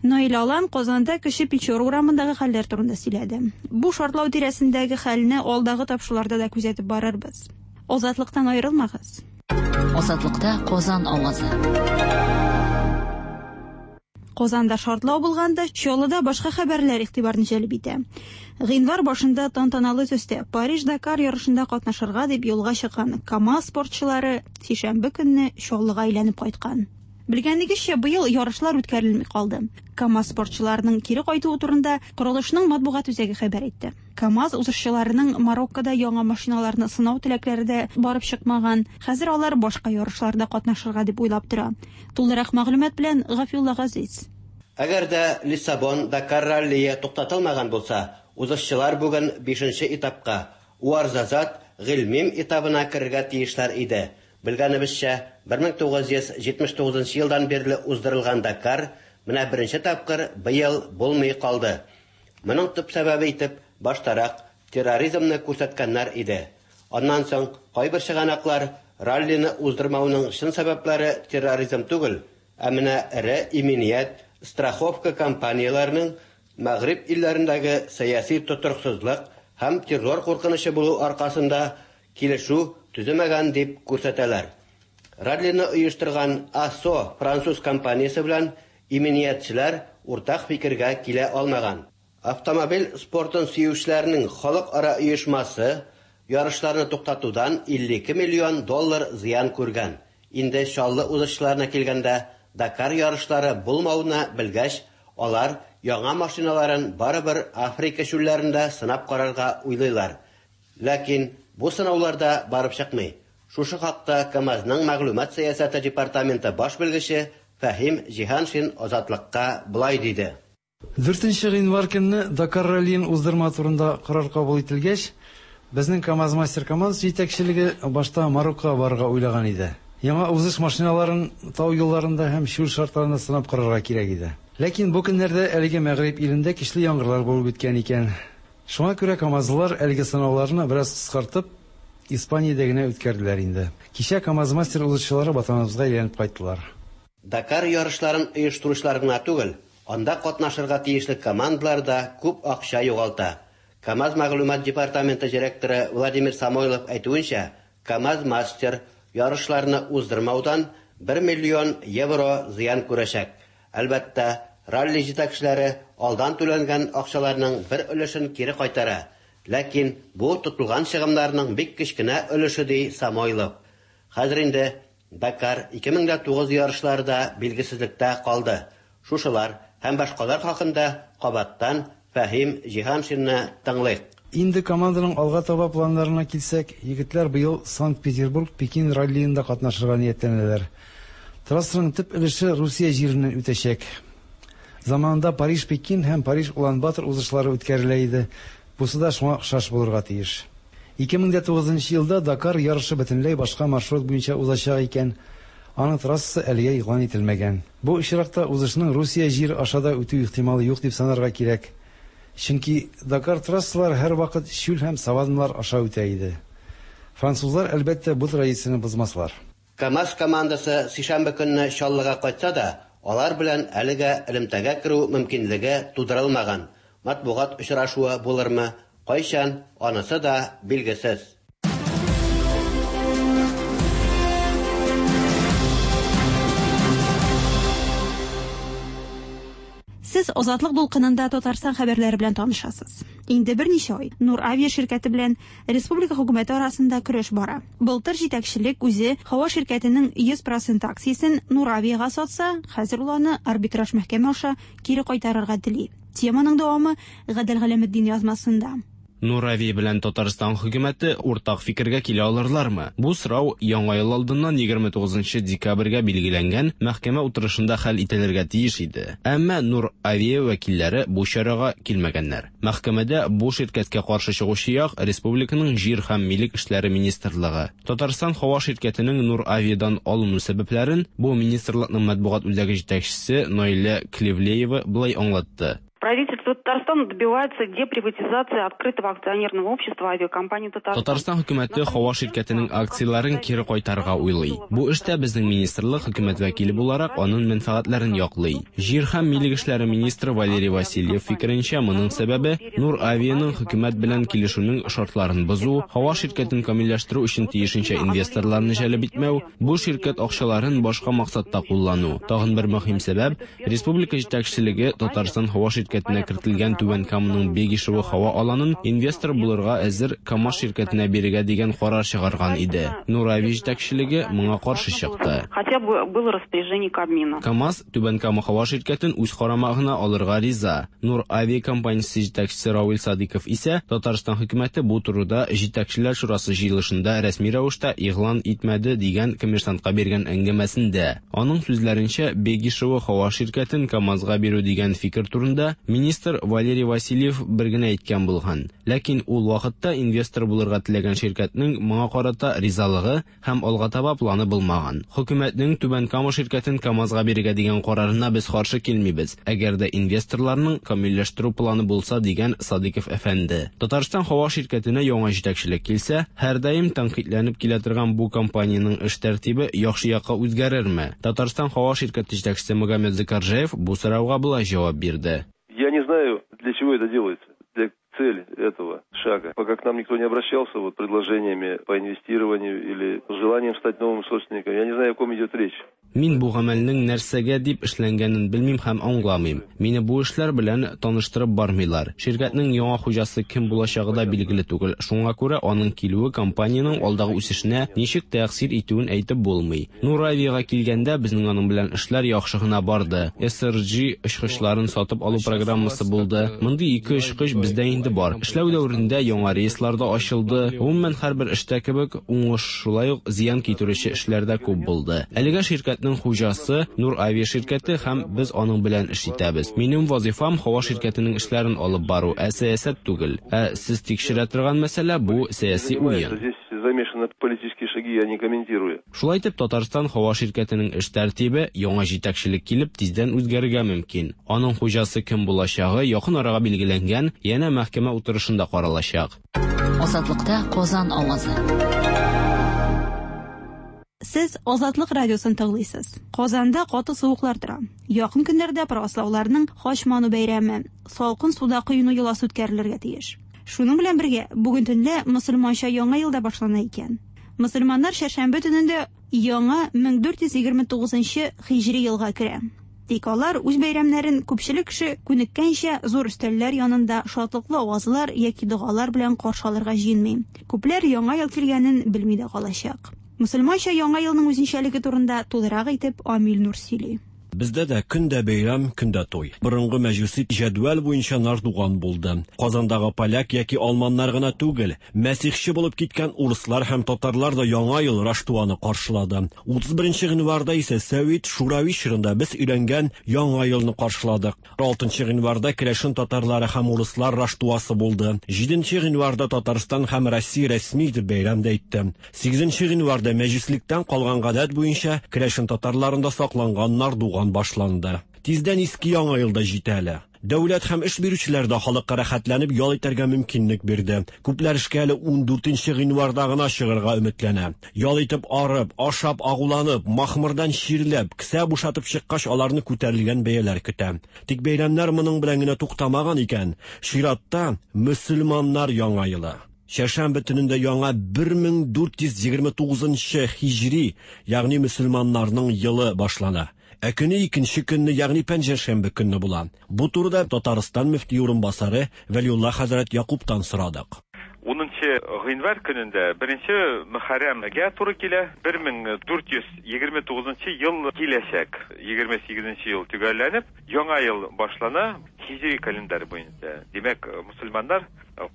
[SPEAKER 11] Наил Алан Казанда Кече Печора урамындагы хәлләр турында сөйләде. Бу шартлау тирәсендәге хәлне алдагы тапшыруларда да күзәтеп барырбыз. Азатлыктан аерылмагыз.
[SPEAKER 4] Азатлыкта Казан авазы.
[SPEAKER 11] Казанда шартлау булганда Чаллыда башка хәбәрләр игътибарны җәлеп итә. Гыйнвар башында тантаналы төстә Париж-Дакар ярышында катнашырга дип юлга чыккан КАМАЗ спортчылары сишәмбе көнне Чаллыга әйләнеп кайткан. Белгәнегезчә, быел ярышлар үткәрелми калды. КАМАЗ спортчыларының кире кайтуы турында корылышның матбугат үзәге хәбәр итте. КАМАЗ узышчыларының Мароккода яңа машиналарны сынау теләкләре дә барып чыкмаган. Хәзер алар башка ярышларда катнашырга дип уйлап тора. Тулырак мәгълүмат белән Гафиулла Газиз.
[SPEAKER 18] Әгәр дә Лиссабон Дакар раллие туктатылмаган булса, узышчылар бүген бишенче этапка, Уарзазат Гыйльмим этабына керергә тиешләр иде. Белгәнебезчә, 1979 елдан бирле уздырылган Дакар менә беренче тапкыр быел булмый калды. Моның төп сәбәбе итеп баштарак терроризмны күрсәткәннәр иде. Аннан соң кайбер чыганаклар раллины уздырмауның чын сәбәпләре терроризм түгел, ә менә эре иминият, страховка компанияләренең Мәгъриб илләрендәге сәяси тотрыксызлык һәм террор куркынычы булу аркасында килешү төземәгән дип күрсәтәләр. Раллины оештырган АСО француз компаниясе белән иминиятчеләр уртак фикергә килә алмаган. Автомобиль спортын сөючеләрнең халыкара оешмасы ярышларны туктатудан 52 миллион доллар зыян күргән. Инде Чаллы узышчыларына килгәндә, Дакар ярышлары булмауны белгәч, алар яңа машиналарын барыбер Африка чүлләрендә сынап карарга уйлыйлар. Ләкин бу сынаулар да барып чыкмый. Шушы хакта КАМАЗның мәгълүмат сәясәте департаменты баш белгече Фәһим Җиһаншин Азатлыкка болай диде.
[SPEAKER 19] 4 гыйнвар көнне Дакар раллиен уздырма турында карар кабул ителгәч, безнең КАМАЗ-Мастер командасы җитәкчелеге башта Мароккога барырга уйлаган иде. Яңа узыш машиналарын тау юлларында һәм чүл шартларында сынап карарга кирәк иде. Ләкин бу көннәрдә әлеге мәгъриб илендә көчле яңгырлар булып үткән икән. Шуңа күрә камазлылар әлеге сынауларны бераз кыскартып, Испаниядә генә үткәрделәр инде. Кичә КАМАЗ-Мастер узышчылары ватаныбызга әйләнеп кайттылар.
[SPEAKER 18] Дакар ярышларын оештыручылар гына түгел, анда катнашырга тиешле командалар да күп акча югалта. КАМАЗ мәгълүмат департаменты директоры Владимир Самойлов әйтүенчә, КАМАЗ-Мастер ярышларны уздырмаудан 1 миллион евро зыян күрәчәк. Әлбәттә, ралли җитәкчеләре алдан түләнгән акчаларның бер өлешен кире кайтара. Ләкин бу тотылган чыгымнарның бик кечкенә өлеше, ди Самойлов. Хәзер инде Дакар 2009 ярышлары да билгесезлектә калды. Шушылар һәм башкалар хакында кабаттан Фәһим Җиһаншинны тыңлыйк.
[SPEAKER 19] Инде команданың алга таба планнарына килсәк, егетләр быел Санкт-Петербург-Пекин раллиенда катнашырга ниятләнәләр. Трассаның төп өлеше Русия җиреннән үтәчәк. Заманында Париж-Пекин һәм Париж-Улан-Батор узышлары үткәрелә иде. Бусы да шуңа охшаш булырга тиеш. 2009 елда Дакар ярышы бөтенләй башка маршрут буенча узачак икән. Аның трассасы әлегә игълан ителмәгән. Бу очракта узышның Русия җире аша да үтү ихтималы юк дип санарга кирәк. Чөнки Дакар трассалары һәрвакыт чүл һәм саванналар аша үтә иде. Французлар, әлбәттә, бу традицияне бозмаслар.
[SPEAKER 18] КАМАЗ командасы сишәмбе көнне Чаллыга кайтса да, алар белән әлегә элемтәгә керү мөмкинлеге тудырылмаган. Матбугат очрашуы булырмы, кайчан, анысы да билгесез.
[SPEAKER 11] Сез Азатлык дулкынында Татарстан хәбәрләре белән танышасыз. Инде берничә ай Нур Авиа ширкәте белән республика хөкүмәте арасында көрәш бара. Былтыр җитәкчелек үзе һава ширкәтенең 100% акциясен Нур Авиага сатса, хәзер ул аны арбитраж мәхкәмә аша кире кайтарырга тели. Теманың дәвамы Гадел Галәметдин язмасында.
[SPEAKER 20] Нур Авиа белән Татарстан хөкүмәте уртак фикергә килә алырлармы? Бу сорау Яңа ел алдыннан 29 декабрьгә билгеләнгән мәхкәмә утырышында хәл ителергә тиеш иде. Әмма Нур Авиа вәкилләре бу чарага килмәгәннәр. Мәхкәмәдә бу ширкәткә каршы чыгучы як республиканың җир һәм милек эшләре министрлыгы. Татарстан һава ширкәтенең Нур Авиадан алыну сәбәпләрен бу министрлыкның матбугат үзәге җитәкчесе Наилә Клевлеева болай аңлатты.
[SPEAKER 12] Правительство Татарстана добивается деприватизации открытого акционерного общества авиакомпании Татарстан.
[SPEAKER 20] Татарстан хөкүмәте һава ширкәтенең акцияләрен кире кайтарырга уйлый. Бу эштә безнең министрлык хөкүмәт вәкиле буларак аның мәнфәгатьләрен яклый. Җир һәм милек эшләре министры Валерий Васильев фикеренчә, моның сәбәбе Нур Авианың хөкүмәт белән килешүнең шартларын бозу, һава ширкәтен камилләштерү өчен тиешенчә инвесторларны җәлеп итмәү, бу ширкәт акчаларын башка максатта куллану. Тагын бер мөһим сәбәп республика җитәкчелеге Татарстан һава ширкәте ширкәтенә кертелгән Түбән Каманың Бегишево һава аланын инвестор булырга әзер КАМАЗ ширкәтенә бирергә дигән карар чыгарган иде. Нур-Авиа җитәкчелеге моңа каршы чыкты.
[SPEAKER 12] Хотя бы было распоряжение Кабмина.
[SPEAKER 20] КАМАЗ Түбән Кама һава ширкәтен үз карамагына алырга риза. Нур-Авиа компаниясе җитәкчесе Равил Садыйков исә Татарстан хөкүмәте бу турыда Җитәкчеләр шурасы җыелышында рәсми рәвештә игълан итмәде дигән Коммерсантка биргән әңгәмәсендә. Аның сүзләренчә, Бегишево һава ширкәтен КАМАЗга бирү дигән фикер турында министр Валерий Васильев бер генә әйткән булган. Ләкин ул вакытта инвестор булырга теләгән ширкәтнең моңа карата ризалыгы һәм алга таба планы булмаган. Хөкүмәтнең Түбән Кама ширкәтен КАМАЗга бирергә дигән карарына без каршы килмибез, әгәр дә инвесторларның камилләштерү планы булса, дигән Садыйков әфәнде. Татарстан һава ширкәтенә яңа җитәкчелек килсә, һәрдаим тәнкыйтьләнеп килә торган бу компаниянең эш тәртибе яхшы якка үзгәрерме? Татарстан һава ширкәте җитәкчесе Магомед Зыкаржаев бу сорауга болай җавап бирде.
[SPEAKER 21] Я не знаю, для чего это делается, для цель этого шага. Пока к нам никто не обращался вот предложениями по инвестированию или желанием стать новым собственником, я не знаю, о ком идет речь.
[SPEAKER 20] Мин бу гамәлнең нәрсәгә дип эшләнгәнен белмим һәм аңламыйм. Мине бу эшләр белән таныштырып бармыйлар. Ширкәтнең яңа хуҗасы кем булачагы да билгеле түгел. Шуңа күрә аның килүе компаниянең алдагы үсешенә ничек тәэсир итүен әйтеп булмый. Нур-Авиага килгәндә, безнең аның белән эшләр яхшы гына барды. SRJ очкычларын сатып алу программасы булды. Мондый ике очкыч бездә инде бар. Эшләү дәверендә яңа рейслар да ачылды. Гомумән, һәрбер эштә кебек, уңыш, шулай ук зыян китерүче эшләр дә күп булды. Әлегә ширкәтнең хуҗасы Нур-Авиа ширкәте һәм без аның белән эш итәбез. Минем вазыйфам һава ширкәтенең эшләрен алып бару, ә сәясәт түгел. Ә сез тикшерә торган мәсьәлә бу сәяси уен.
[SPEAKER 21] Здесь замешаны политические шаги, я не комментирую.
[SPEAKER 20] Шулай итеп, Татарстан һава ширкәтенең эш тәртибе яңа җитәкчелек килеп тиздән үзгәрергә мөмкин. Аның хуҗасы кем булачагы якын арага билгеләнгән янә мәхкәмә утырышында каралачак.
[SPEAKER 4] Азатлыкта Казан авазы.
[SPEAKER 11] Сез Азатлык радиосын тыңлыйсыз. Казанда каты суыклар тора. Якын көннәрдә правослауларның Хач ману бәйрәме, салкын суда коену йоласы үткәрелергә тиеш. Шуның белән бергә, бүген төнлә мөселманча яңа ел да башлана икән. Мөселманнар чәршәмбе төнендә яңа 1429 һиҗри елга керә. Тик алар үз бәйрәмнәрен күпчелек кеше күнеккәнчә зур өстәлләр янында шатлыклы авазлар яки догалар белән каршы алырга җыенмый. Күпләр яңа ел килгәнен белми дә калачак. Мөселманча яңа елның үзенчәлеге турында тулырак итеп Амил Нур сөйли.
[SPEAKER 22] Бездә дә көн дә бәйрәм, көн дә туй. Борынгы мәҗүси җәдвәл буенча Нардуган булды. Казандагы поляк яки алманнар гына түгел, мәсихче булып киткән урыслар һәм татарлар да Яңа ел Раштуаны каршылады. 31 гыйнварда исә Сәвит Шурави чорында без өйрәнгән Яңа елны каршыладык. 6 гыйнварда керәшен татарлары һәм урыслар Раштуасы булды. 7 гыйнварда Татарстан һәм Россия рәсми итеп бәйрәм дә итте. 8 гыйнварда мәҗүслектән калган гадәт буенча керәшен татарларында сакланган Нардуган башланды. Тиздән иске Яңа ел да җитә әле. Дәүләт һәм эш бирүчеләр дә халыкка рәхәтләнеп ял итәргә мөмкинлек бирде. Күпләр эшкә әле 14 гыйнварда гына чыгарга өметләнә. Ял итеп арып, ашап агуланып, махмырдан чирләп, кесә бушатып чыккач аларны күтәрелгән бәяләр көтә. Тик бәйрәмнәр моның белән генә туктамаган икән. Чиратта мөселманнар Яңа елы. Чәршәмбе төнендә яңа 1429 һиҗри, ягъни мөселманнарның елы башлана. Ә көне икенче көнне, ягъни пәнҗешәмбе көнне була. Бу турыда Татарстан мөфти урынбасары Вәлиулла хәзрәт Якубтан сорадык.
[SPEAKER 23] 10 гыйнвар көнендә беренче Мөхәррәмгә туры килә. 1429 ел киләчәк. 28 ел төгәлләнеп, яңа ел башлана һиҗри календарь буенча. Димәк, мөселманнар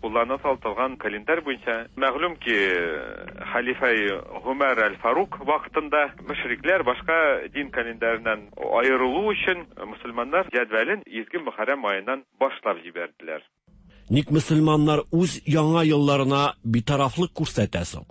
[SPEAKER 23] кулланып торган календарь буенча. Мәгълүм ки, халифа Гумар аль-Фарук вакытында мөшрикләр башка дин календареннән аерылу өчен мөселманнар җәдвәлен изге Мөхәррәм аеннан башлап җибәрделәр.
[SPEAKER 22] Ник мөселманнар үз яңа елларына битарафлык күрсәтә соң?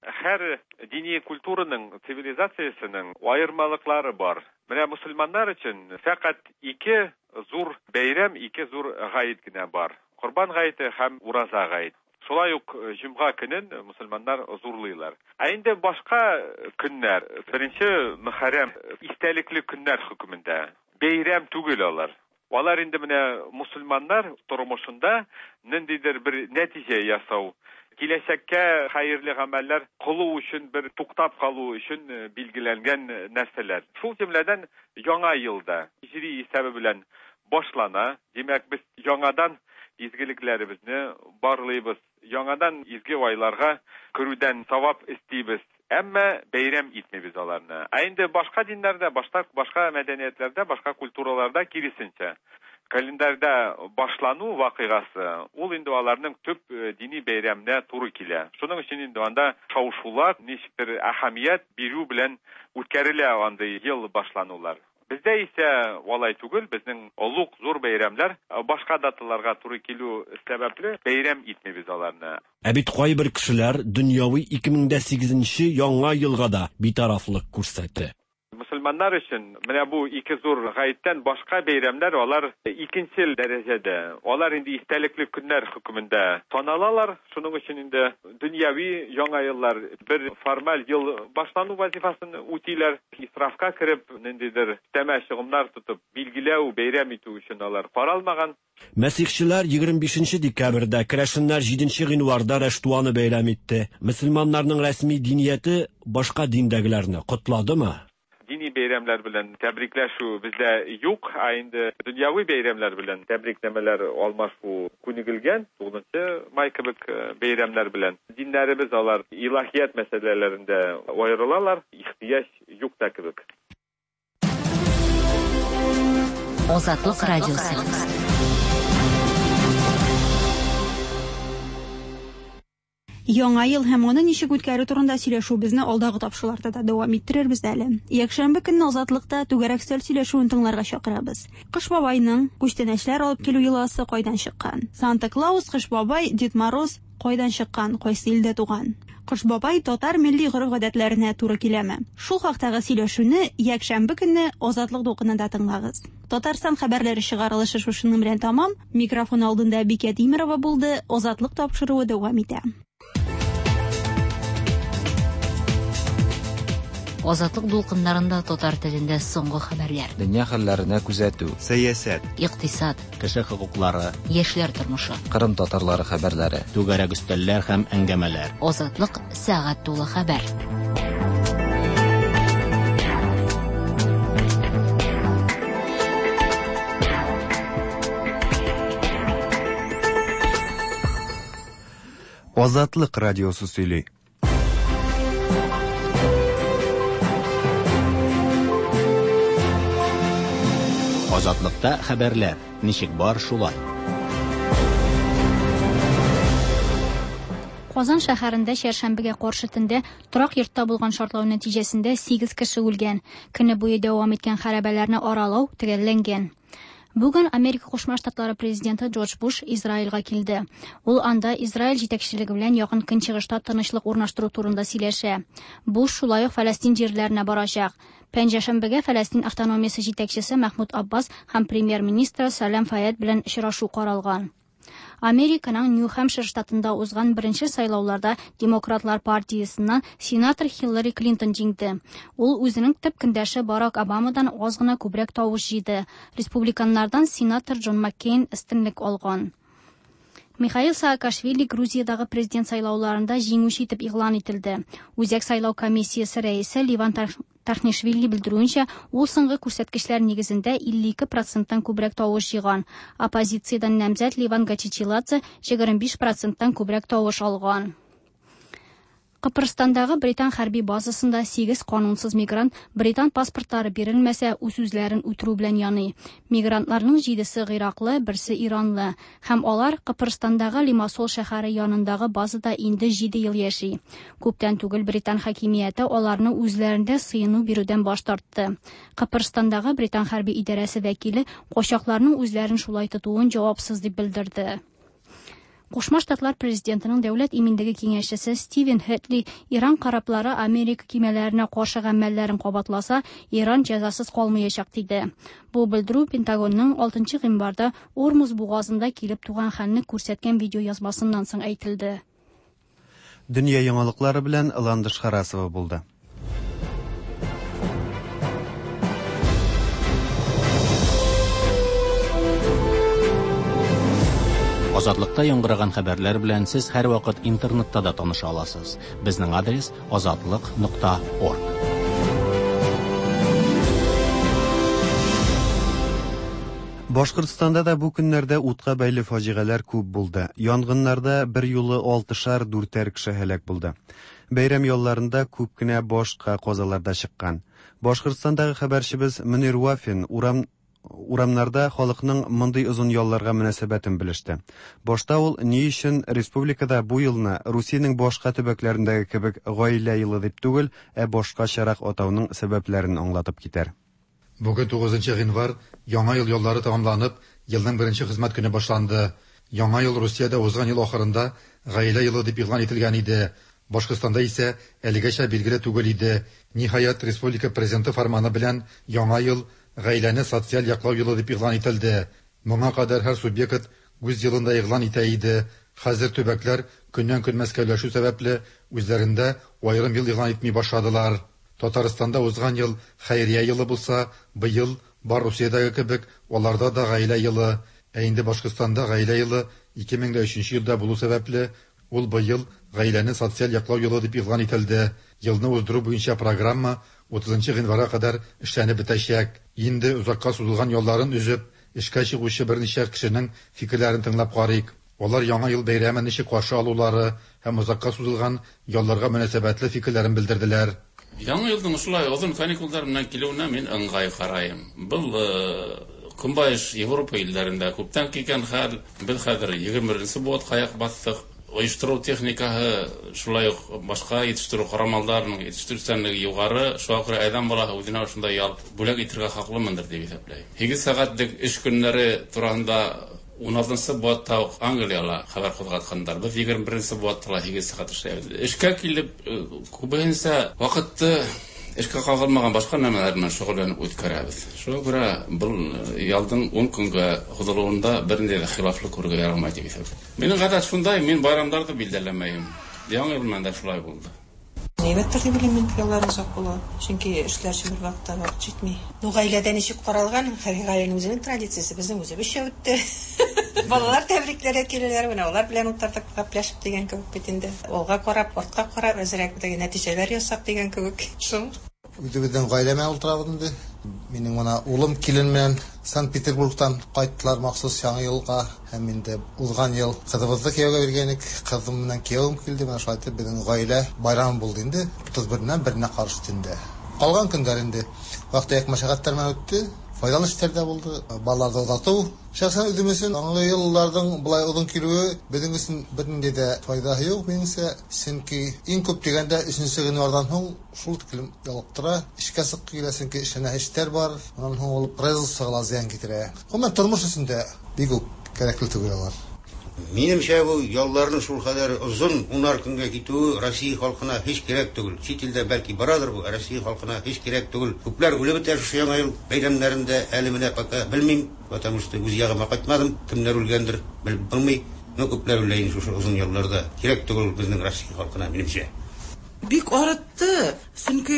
[SPEAKER 23] Һәр дини культураның, цивилизациясенең аермалыклары бар. Менә мөселманнар өчен фәкать ике зур бәйрәм, ике зур гает кенә бар. Корбан гаете һәм Ураза гаете. Шулай ук җомга көнен мөселманнар зурлыйлар. Ә инде башка көннәр, беренче Мөхәррәм истәлекле көннәр хөкемендә. Бәйрәм түгел алар. Алар инде менә мөселманнар тормышында ниндидер бер нәтиҗә ясау, киләчәккә хәерле гамәлләр кылу өчен бер туктап калу өчен билгеләнгән нәрсәләр. Шул җөмләдән яңа елда һиҗри исәбе белән башлана. Димәк, без яңадан изгелекләребезне барлыйбыз. Яңадан изге айларга керүдән савап эстибез. Әмма бәйрәм итмибез аларны. Ә инде башка диннәрдә, башка башка мәдәниятләрдә, башка культураларда киресенчә. Календарьда башлану вакыйгасы, ул инде аларның төп дини бәйрәменә туры килә. Шуның өчен инде анда шау-шулар, ничектер әһәмият бирү белән үткәрелә андый ел башланулар. Бездә исә алай түгел, безнең олуг зур бәйрәмнәр башка даталарга туры килү сәбәпле бәйрәм итмибез аларны.
[SPEAKER 22] Ә бит кайбер кешеләр дөньяви 2008 нче Яңа елга да битарафлык күрсәтте.
[SPEAKER 23] Мөселманнар өчен менә бу ике зур гаеттән башка бәйрәмнәр алар икенчел дәрәҗәдә. Алар инде истәлекле көннәр хөкемендә саналалар. Шуның өчен инде дөньяви Яңа еллар бер формаль ел башлану вазифасын үтиләр. Исрафка кереп, ниндидер өстәмә чыгымнар тотып, билгеләү, бәйрәм итү өчен алар каралмаган.
[SPEAKER 22] Мәсихчеләр 25 нче декабрьдә, керәшеннәр 7 нче гыйнварда Раштуаны бәйрәм итте. Мөселманнарның рәсми динияте башка диндәгеләрне котладымы?
[SPEAKER 23] Дини бәйрәмнәр белән тәбрикләшү бездә юк, ә инде дөньяви бәйрәмнәр белән тәбрикнамәләр алмашу күнегелгән, 9 май кебек бәйрәмнәр белән. Диннәребез алар илаһият мәсьәләләрендә аерылалар, ихтыяҗ юк та кебек.
[SPEAKER 4] Азатлык радиосы.
[SPEAKER 11] Яңа ел һәм аны ничек үткәрү турында сөйләшүебезне алдагы тапшыруларда да дәвам иттерербез әле. Якшәмбе көнне Азатлыкта түгәрәк өстәл сөйләшүен тыңларга чакырабыз. Кыш бабайның күчтәнәчләр алып килү йоласы кайдан чыккан? Санта Клаус, Кыш бабай, Дед Мороз кайдан чыккан, кайсы илдә туган? Кыш бабай татар милли гореф-гадәтләренә туры киләме? Шул хактагы сөйләшүне якшәмбе көнне Азатлык дулкынында тыңлагыз. Татарстан хәбәрләре чыгарылышы шушының белән тәмам. Микрофон алдында Бикә Тимерова булды. Азатлык тапшыруы дәвам итә.
[SPEAKER 4] Азатлык дулкыннарында татар телендә соңгы хәбәрләр.
[SPEAKER 10] Дөнья хәлләренә күзәтү.
[SPEAKER 2] Сәясәт.
[SPEAKER 4] Икътисад.
[SPEAKER 1] Кеше хокуклары.
[SPEAKER 4] Яшьләр тормышы.
[SPEAKER 10] Кырым татарлары хәбәрләре.
[SPEAKER 1] Түгәрәк өстәлләр һәм әңгәмәләр.
[SPEAKER 4] Азатлык сәгать тулы хәбәр.
[SPEAKER 2] Азатлык радиосы сөйли.
[SPEAKER 1] Азатлыкта хәбәрләр ничек бар шулай.
[SPEAKER 3] Казан шәһәрендә чәршәмбегә каршы төндә торак йортта булган шартлау нәтиҗәсендә 8 кеше үлгән. Көне буе дәвам иткән хәрабәләрне аралау төгәлләнгән. Бүген Америка Кушма Штатлары президенты Джордж Буш Израильгә килде. Ул анда Израиль җитәкчелеге белән Якын Көнчыгышта тынычлык урнаштыру турында сөйләшә. Буш шулай ук Фәләстин җирләренә барачак. Пәнҗешәмбегә Фәләстин автономиясе җитәкчесе Мәхмүд Аббас һәм премьер-министры Салям Фаяд белән очрашу каралган. Американың Нью-Хэмпшир штатында узган беренче сайлауларда Демократлар партиясеннән сенатор Хиллари Клинтон җиңде. Ул үзенең төп көндәше Барак Обамадан аз гына күбрәк тавыш җыйды. Республиканнардан сенатор Джон Маккейн өстенлек алган. Михаил Саакашвили Грузиядагы президент сайлауларында җиңүче итеп игълан ителде. Үзәк сайлау комиссиясе рәисе Ливан Тархнишвили белдерүенчә, ул соңгы күрсәткечләр нигезендә 52 проценттан күбрәк тавыш җыйган. Оппозициядән намзәт Ливан Гачичиладзе 25 проценттан күбрәк тавыш алган. Кыпырстандагы британ хәрби базасында 8 канунсыз мигрант британ паспортлары бирелмәсә, үз-үзләрен үтерү белән яный. Мигрантларның 7-се гыйраклы, берсе иранлы. Һәм алар Кыпырстандагы Лимассол шәһәре янындагы базада инде 7 ел яши. Күптән түгел британ хакимияте аларны үзләрендә сыену бирүдән баш тартты. Кыпырстандагы британ хәрби идарәсе вәкиле качакларның үзләрен шулай тотуын җавапсыз дип белдерде. Кушма Штатлар президентының дәүләт иминлеге киңәшчесе Стивен Хэтли Иран кораблары Америка кимәләренә каршы гамәлләрен кабатласа, Иран җәзасыз калмаячак диде. Бу белдерү Пентагонның 6 гыйнварда Ормуз бугазында килеп туган хәлне күрсәткән видеоязмасыннан соң әйтелде.
[SPEAKER 2] Дөнья яңалыклары белән Ландыш Харасова булды.
[SPEAKER 1] Азатлыкта яңгыраган хәбәрләр белән сез һәрвакыт интернетта да таныша аласыз. Безнең адрес азатлык.орг.
[SPEAKER 2] Башкортстанда да бу көннәрдә утка бәйле фаҗигаләр күп булды. Янгыннарда берьюлы алтышар, дүртәр кеше һәлак булды. Бәйрәм ялларында күп кенә башка казалар да чыккан. Башкортстандагы хәбәрчебез Мөнир Вафин урам урамнарда халыкның мондый озын ялларга мөнәсәбәтен белеште. Башта ул ни өчен республикада бу елны Русиянең башка төбәкләрендәге кебек Гаилә елы дип түгел, ә башкачарак атауның сәбәпләрен аңлатып китәр.
[SPEAKER 5] Бүген 9 гыйнвар, Яңа ел яллары тәмамланып, елның беренче хезмәт көне башланды. Яңа ел Русиядә узган ел ахырында Гаилә елы дип игълан ителгән иде. Башкортстанда исә әлегәчә билгеле түгел иде. Ниһаять, республика Президенты фәрманы белән Яңа ел Гаиләне социаль яклау елы дип игълан ителде. Моңа кадәр һәр субъект үз елын да игълан итә иде. Хәзер төбәкләр көннән-көн мәскәүләшү сәбәпле, үзләрендә аерым ел игълан итми башладылар. Татарстанда узган ел Хәйрия елы булса, быел, бар Русиядәге кебек, аларда да Гаилә елы. Ә инде Башкортстанда Гаилә елы 2003 елда булу сәбәпле, ул быел Гаиләне социаль яклау елы дип игълан ителде. Елны уздыру буенча программа 30 гыйнварга кадәр эшләнеп бетәчәк. Инде озакка сузылган ялларын өзеп, эшкә чыгучы берничә кешенең фикерләрен тыңлап карыйк. Алар Яңа ел бәйрәмен ничек каршы алулары һәм озакка сузылган ялларга мөнәсәбәтле фикерләрен белдерделәр.
[SPEAKER 6] Яңа елның шулай озын каникулдар белән килүенә мин ыңгай карыйм. Был Көнбайыш Европа илләрендә күптән килгән хәл. Без хәзер 21 быуатка аяк бастык. Оештыру техникаһы, шулай ук башка җитештерү корамалдарының җитештерүчәнлеге югары. Шуңа күрә адәм балаһы үзенә шундай ял бүләк итәргә хаклымындыр дип исәпләйм. 8 сәгатьлек эш көннәре турында 16 быуатта ук Англияла хәбәр кузгатканнар. Без 21 быуатта ла 8 сәгать эшләйбез. Эшкә килеп, күбесенчә вакытты эшкә кагылмаган башка нәмәләр белән шөгыльләнеп үткәрәбез. Шуңа күрә был ялдың 10 көнгә һузылуында бернинди дә хилафлык күрергә ярамай дип исәплим. Минем гадәт шундай, мин байрамнарны билдәләмәйм. Яңа ел белән дә шулай булды.
[SPEAKER 8] Әйбәттер дип уйлыйм мин, яллар озак була. Чөнки эшләр өчен бер вакытта вакыт җитми.
[SPEAKER 24] Ну, гаиләдә ничек каралган, һәр гаиләнең үзенең традициясе, безнең үзебезчә үтте. Балалар тәбрикләргә киләләр, менә алар белән утырдык, гәпләшеп дигән кебек бит инде. Алга карап, артка карап, әзрәк теге нәтиҗәләр ясап дигән кебек. Шул.
[SPEAKER 25] Үзебезнең гаилә белән утырабыз инде. Минем менә улым килен белән Санкт-Петербургтан кайттылар махсус Яңа елга. Һәм инде узган ел кызыбызны кияүгә биргән идек. Кызым белән киявем килде. Менә шулай итеп безнең гаилә байрамы булды инде. 31-ннән беренә каршы төндә. Калган көннәр инде вак-төяк мәшәкатьләр белән үтте. Файдалы эшләр дә булды. Балаларны озату. Шәхсән үзем өчен Яңа елларның болай озын килүе безнең өчен бернинди дә файдасы юк, минемчә. Чөнки иң күп дигәндә 3 гыйнвардан соң шул тиклем ялыктыра, эшкә чыгып килә, чөнки эшләнә эшләр бар. Аннан соң ул производствога ла зыян китерә. Гомумән, тормыш өчен дә бик үк кирәкле түгел алар.
[SPEAKER 26] Минемчә, бу ялларның шулкадәр озын, унар көнгә китүе Россия халкына һич кирәк түгел. Чит илдә бәлки барадыр бу, ә Россия халкына һич кирәк түгел. Күпләр үлеп бетә шушы Яңа ел бәйрәмнәрендә, әле менә пока белмим, потому что үз ягыма кайтмадым, кемнәр үлгәндер, белеп булмый. Но күпләр үлә инде шушы озын ялларда. Кирәк түгел безнең Россия халкына, минемчә.
[SPEAKER 27] Бик арытты, чөнки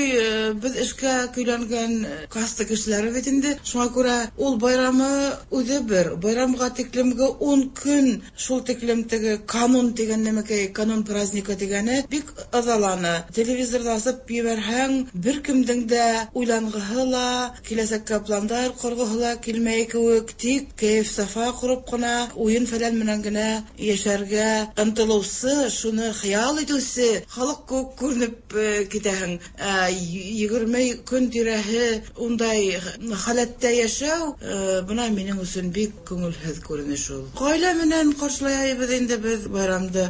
[SPEAKER 27] без эшкә көйләнгән каста кешеләре бит инде. Шуңа күрә ул байрамы үзе бер, байрамга тиклемге 10 көн шул тиклем теге канун дигән нәмәкәй, канун праздника дигәне бик ызаланы. Телевизорда асып җибәрһәң, бер кемдең дә уйлангыһы ла, киләсәккә пландар коргыһы ла килмәй кебек, тик кәеф-сафа корып кына, уен фәлән белән генә яшәргә ынтылусы, шуны хыял итүсе халык күк күренеп китәһең. 20 көн тирәһе ундай халәттә яшәү, бына минең өчен бик күңелһеҙ күренеш ул. Ғаилә менән ҡаршылайбыҙ инде беҙ байрамды,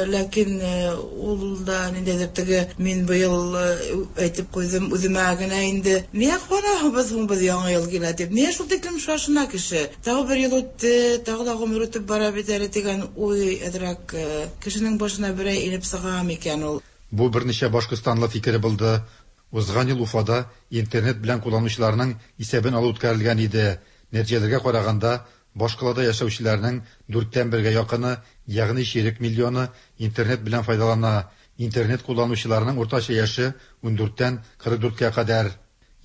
[SPEAKER 27] ләкин ул да ниндәйҙер теге мин быйыл әйтеп ҡуйҙым үҙемә генә инде. Ниңә ҡыуанаһыбыҙ һуң беҙ яңы йыл килә тип? Ниңә шул тиклем шашына кеше? Тағы бер йыл үтте, тағы ла ғүмер үтеп бара бит әле тигән уй әҙерәк кешенең башына берәй инеп сыға микән ул?
[SPEAKER 5] Бу берничә башкортстанлы фикере булды. Узган ел Уфада интернет белән кулланучыларның исәбен алу үткәрелгән иде. Нәтиҗәләргә караганда, башкалада яшәүчеләрнең дүрттән бергә якыны, ягъни чирек миллионы интернет белән файдалана. Интернет кулланучыларның уртача яше 14-тән 44-кә кадәр.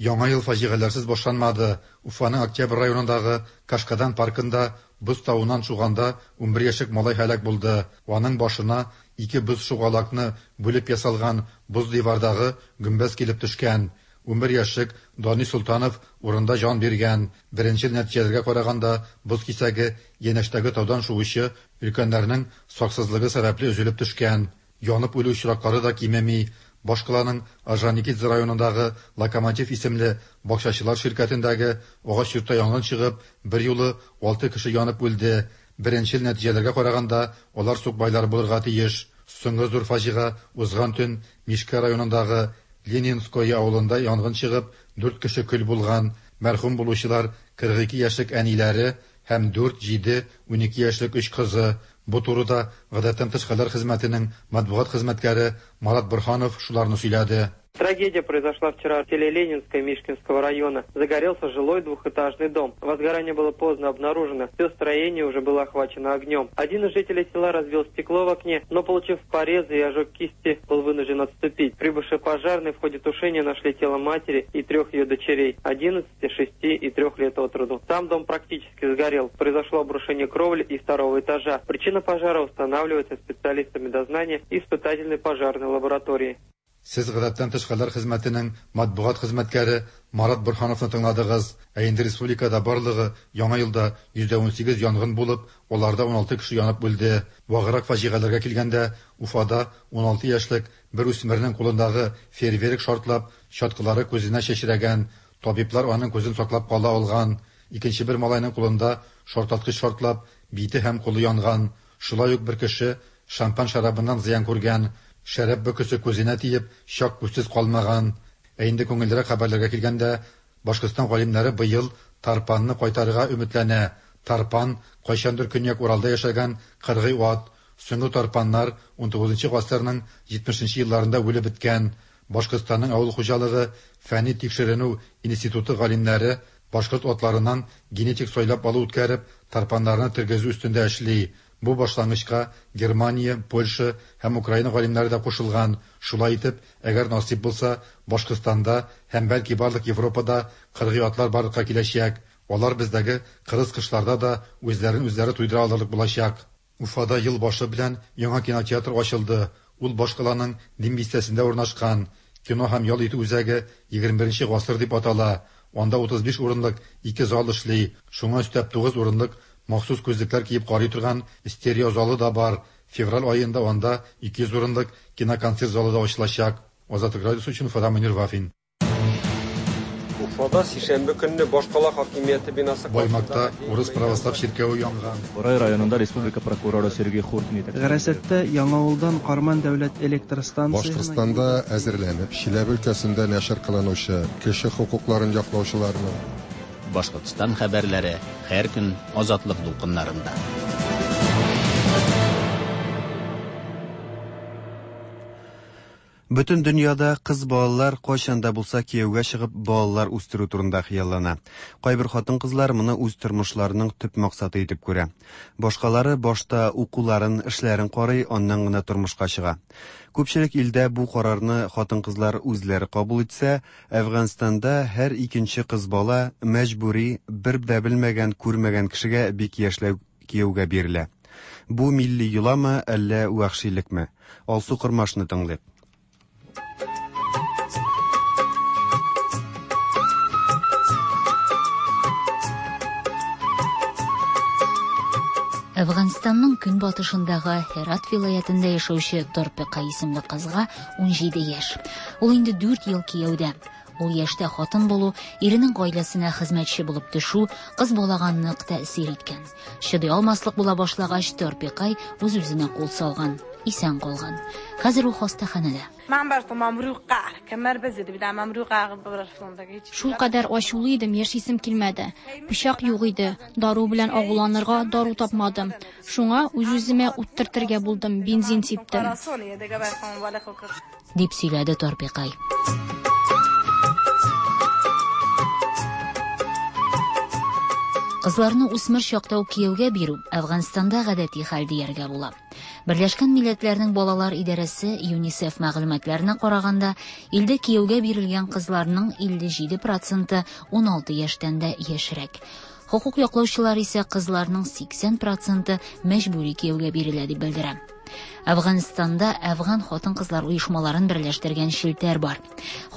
[SPEAKER 5] Яңа ел фаҗигаләрсез башланмады. Уфаның Октябрь районындагы Кашкадан паркында боз тавыннан шуганда 11 яшьлек малай һәлак булды. Аның башына ике боз шугалакны бүлеп ясалган боз дивардагы гөмбәз килеп төшкән. 11 яшьлек Данис Солтанов урында җан биргән. Беренчел нәтиҗәләргә караганда, боз кисәге янәшәдәге таудан шуучы өлкәннәрнең саксызлыгы сәбәпле өзелеп төшкән. Янып үлү очраклары да кимеми. Башкаланың Орджоникидзе районындагы Локомотив исемле бакчачылар ширкәтендәге агач йортта янгын чыгып, берьюлы алты кеше янып үлде. Беренчел нәтиҗәләргә караганда, алар сукбайлар булырга тиеш. Соңгы зур фаҗига узган төн Мишкә районындагы Ленинское авылында янгын чыгып, дүрт кеше көл булган. Мәрхүм булучылар 42 яшьлек әниләре һәм 4, 7, 12 яшьлек өч кызы. Бу турыда Гадәттән тыш хәлләр хезмәтенең матбугат хезмәткәре Марат Борһанов шуларны сөйләде.
[SPEAKER 7] Трагедия произошла вчера в селе Ленинское Мишкинского района. Загорелся жилой двухэтажный дом. Возгорание было поздно обнаружено. Все строение уже было охвачено огнем. Один из жителей села разбил стекло в окне, но, получив порезы и ожог кисти, был вынужден отступить. Прибывшие пожарные в ходе тушения нашли тело матери и трех ее дочерей – 11, 6 и 3 лет от роду. Сам дом практически сгорел. Произошло обрушение кровли и второго этажа. Причина пожара устанавливается специалистами дознания и испытательной пожарной лаборатории.
[SPEAKER 5] Сез Гадәттән тыш хәлләр хезмәтенең матбугат хезмәткәре Марат Борһановны тыңладыгыз. Ә инде республикада барлыгы яңа елда 118 янгын булып, аларда 16 кеше янып үлде. Ваграк фаҗигаләргә килгәндә, Уфада 16 яшьлек бер үсмернең кулындагы фейерверк шартлап, чаткылары күзенә чәчрәгән. Табиблар аның күзен саклап кала алган. Икенче бер малайның кулында шартлаткыч шартлап, бите һәм кулы янган. Шулай ук бер кеше шампан шәрабыннан зыян күргән. Шәраб бөкесе күзенә тиеп, чак күзсез калмаган. Ә инде күңеллерәк хәбәрләргә килгәндә, Башкортстан галимнәре быел тарпанны кайтарырга өметләнә. Тарпан кайчандыр Көньяк Уралда яшәгән кыргый ат. Соңгы тарпаннар 19 гасырның 70 елларында үлеп беткән. Башкортстанның авыл хуҗалыгы фәнни тикшеренү институты галимнәре башкорт атларыннан генетик сайлап алу үткәреп, тарпаннарны тергезү өстендә эшли. Бу башлангычка Германия, Польша һәм Украина галимнәре дә кушылган. Шулай итеп, әгәр насыйп булса, Башкортстанда һәм бәлки барлык Европада кыргый атлар барлыкка киләчәк. Алар бездәге кырыс кышларда да үзләрен үзләре туйдыра алырлык булачак. Уфада ел башы белән яңа кинотеатр ачылды. Ул башкаланың Дим бистәсендә урнашкан. Кино һәм ял итү үзәге 21 гасыр дип атала. Анда 35 урынлык ике зал эшли. Шуңа өстәп 9 урынлык махсус күзлекләр киеп карый торган стерео залы да бар. Февраль аенда анда 200 урынлык киноконцерт залы да ачылачак. Азатлык радиосы өчен Уфадан Мөнир Вафин.
[SPEAKER 9] Уфада сишәмбе көнне башкала хакимияте бинасы
[SPEAKER 5] Баймакта урыс православ чиркәве янган.
[SPEAKER 13] Борай районында республика прокуроры Сергей Хуркин итәкчелегендәге
[SPEAKER 14] Гарасәттә Яңавылдан Карман дәүләт электр станциясенә
[SPEAKER 15] Башкортстанда әзерләнеп, Чиләбе өлкәсендә нәшер кылынучы кеше хокукларын яклаучыларның,
[SPEAKER 1] Башкортстан хәбәрләре һәр көн Азатлык дулкыннарында.
[SPEAKER 2] Бөтен дөньяда кыз балалар кайчан да булса кияүгә чыгып балалар үстерү турында хыяллана. Кайбер хатын-кызлар моны үз тормышларының төп максаты итеп күрә. Башкалары башта укуларын, эшләрен карый, аннан гына тормышка чыга. Күпчелек илдә бу карарны хатын-кызлар үзләре кабул итсә, Әфганстанда һәр икенче кыз бала мәҗбүри, бер дә белмәгән, күрмәгән кешегә бик яшьләй кияүгә бирелә. Бу милли йоламы, әллә вәхшилекме? Алсу Кормашны тыңлыйк.
[SPEAKER 4] Әфганстанның көнбатышындагы Һерат вилаятендә яшәүче Торпека исемле кызга 17 яшь. Ул инде 4 ел кияүдә. Ул яшьтә хатын булу, иренең гаиләсенә хезмәтче булып төшү кыз балага нык тәэсир иткән. Чыдый алмаслык була башлагач, Торпекай үз-үзенә кул салган, исән калган. Хәзер ул хастаханәдә.
[SPEAKER 3] Шулкадәр ачулы идем, яшисем килмәде. Пычак юк иде, дару белән агуланырга дару тапмадым. Шуңа үз-үземә ут төртергә булдым, бензин сиптем.
[SPEAKER 4] Дип сөйләде Торпекай. Кызларны үсмер чакта ук кияүгә бирү Әфганстанда гадәти хәл дияргә була. Берләшкән Милләтләрнең балалар идарәсе ЮНИСЕФ мәгълүматларына караганда, илдә кияүгә бирелгән кызларның 57 проценты 16 яшьтән дә яшьрәк. Хокук яклаучылар исә кызларның 80 проценты мәҗбүри кияүгә бирелә дип белдерә. Әфганстанда әфган хатын-кызлар оешмаларын берләштергән челтәр бар.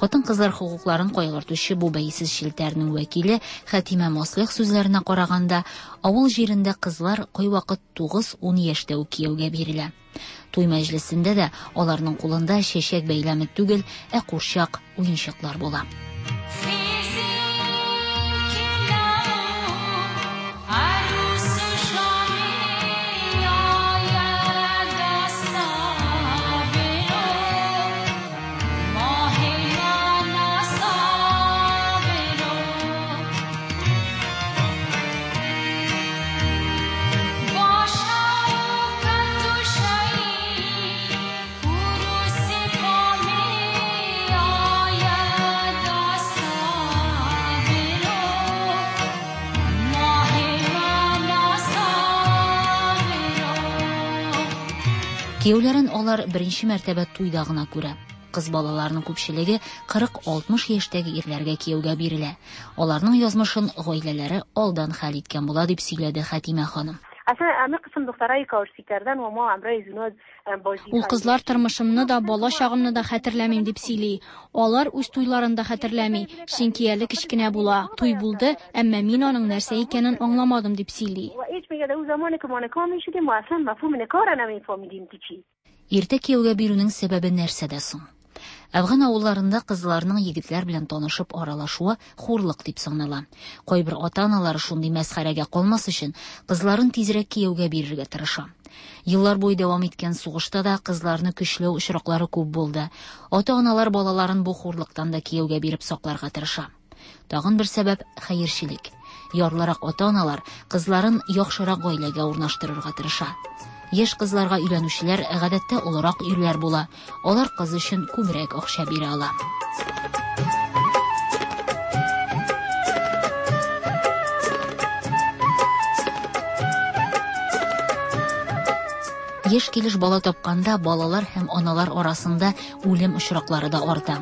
[SPEAKER 4] Хатын-кызлар хокукларын кайгыртучы бу бәйсез челтәрнең вәкиле Хәтимә Мослих сүзләренә караганда, авыл җирендә кызлар кайвакыт 9-10 яшьтә үк кияүгә бирелә. Туй мәҗлесендә дә аларның кулында чәчәк бәйләме түгел, ә курчак, уенчыклар була. Кияүләрен алар беренче мәртәбә туйда гына күрә. Кыз балаларның күпчелеге 40-60 яшьтәге ирләргә кияүгә бирелә. Аларның язмышын гаиләләре алдан хәл иткән була, дип сөйләде Хәтимә ханым.
[SPEAKER 3] Ул кызлар тормышымны да, бала чагымны да хәтерләмим дип сөйли. Алар үз туйларын да хәтерләми, чөнки әле кечкенә була. Туй булды, әмма мин аның нәрсә икәнен аңламадым дип сөйли.
[SPEAKER 4] Иртә кияүгә бирүнең сәбәбе нәрсәдә соң? Әфган авылларында кызларның егетләр белән танышып аралашуы хурлык дип санала. Кайбер ата-аналар шундый мәсхәрәгә калмас өчен кызларын тизрәк кияүгә бирергә тырыша. Еллар буе дәвам иткән сугышта да кызларны көчләү очраклары күп булды. Ата-аналар балаларын бу хурлыктан да кияүгә биреп сакларга тырыша. Тагын бер сәбәп хәерчелек. Ярлырак ата-аналар кызларын яхшырак гаиләгә урнаштырырга тырыша. Яшь кызларга өйләнүчеләр гадәттә олырак ирләр була. Алар кыз өчен күбрәк акча бирә ала. Яшь килеш бала тапканда балалар һәм аналар арасында үлем очраклары да арта.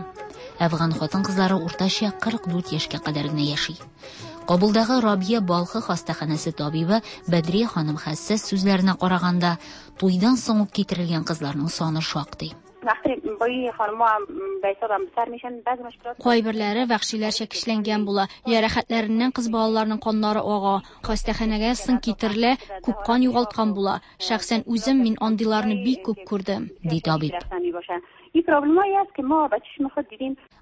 [SPEAKER 4] Әфган хатын-кызлары уртача 44 яшькә кадәр генә яши. Кабулдагы Рабия Балхы хастаханәсе табибы Бәдрия ханым Хәссәс сүзләренә караганда, туйдан соң ук китерелгән кызларның саны шактый.
[SPEAKER 3] Кайберләре вәхшиләрчә көчләнгән була. Җәрәхәтләреннән кыз балаларның каннары ага. Хастаханәгә соң китерелә, күп кан югалткан була. Шәхсән үзем мин андыйларны бик күп күрдем,
[SPEAKER 4] ди табиб.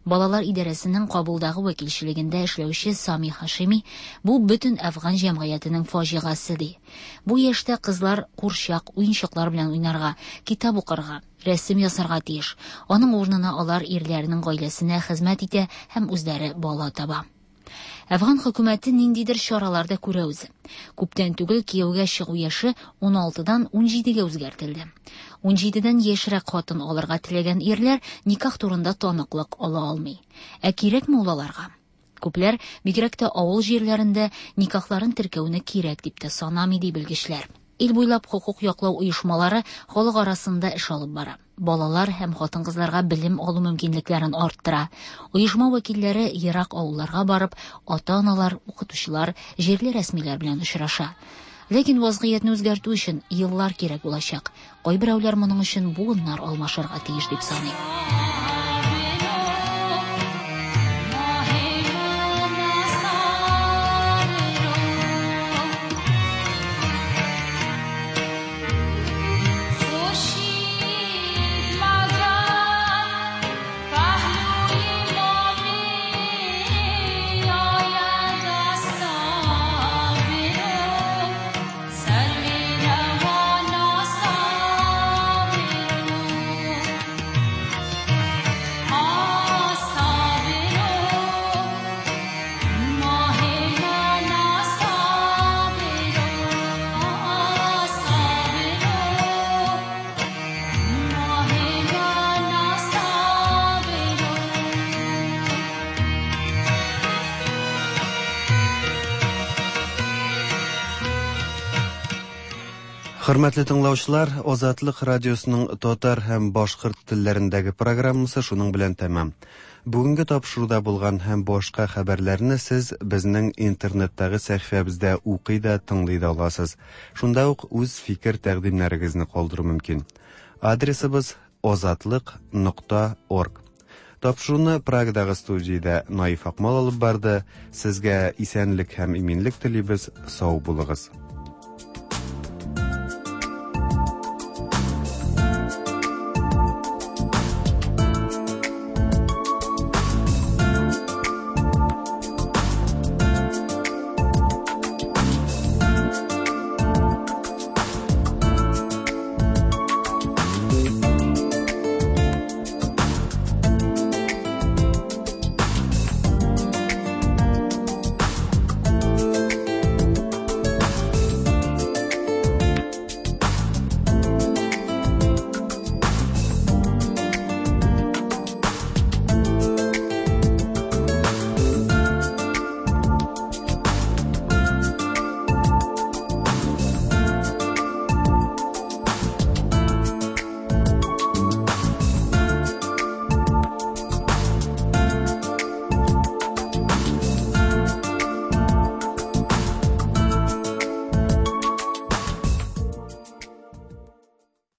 [SPEAKER 4] Балалар идарәсенең Кабулдагы вәкилчелегендә эшләүче Сами Хашими бу бөтен әфган җәмгыятенең фаҗигасе ди. Бу яшьтә кызлар курчак, уенчыклар белән уйнарга, китап укырга, рәсем ясарга тиеш. Аның урынына алар ирләренең гаиләсенә хезмәт итә һәм үзләре бала таба. Әфган хөкүмәте ниндидер чаралар да күрә үзе. Күптән түгел кияүгә чыгу яше 16-дан 17-гә үзгәртелде. 17-дән яшьрәк хатын алырга теләгән ирләр никах турында таныклык ала алмый. Ә кирәкме ул аларга? Күпләр, бигрәк тә авыл җирләрендә, никахларын теркәүне кирәк дип тә санамый, ди белгечләр. Ил буйлап хокук яклау оешмалары халык арасында эш алып бара. Балалар һәм хатын-кызларга белем алу мөмкинлекләрен арттыра. Оешма вәкилләре ерак авылларга барып, ата-аналар, укытучылар, җирле рәсмиләр белән очраша. Ләкин вазгыятьне үзгәртү өчен еллар кирәк булачак. Кайберәүләр моның өчен буыннар алмашырга тиеш дип саный.
[SPEAKER 2] Хөрмәтле тыңлаучылар, Азатлык радиосының татар һәм башкорт телләрендәге программасы шуның белән тәмам. Бүгенге тапшыруда булган һәм башка хәбәрләрне сез безнең интернеттагы сәхифәбездә укый да, тыңлый да аласыз. Шунда ук үз фикер-тәкъдимнәрегезне калдыру мөмкин. Адресыбыз озатлык нокта орг. Тапшыруны Прагадагы студиядә Наиф Акмал алып барды. Сезгә исәнлек һәм иминлек телибез. Сау булыгыз.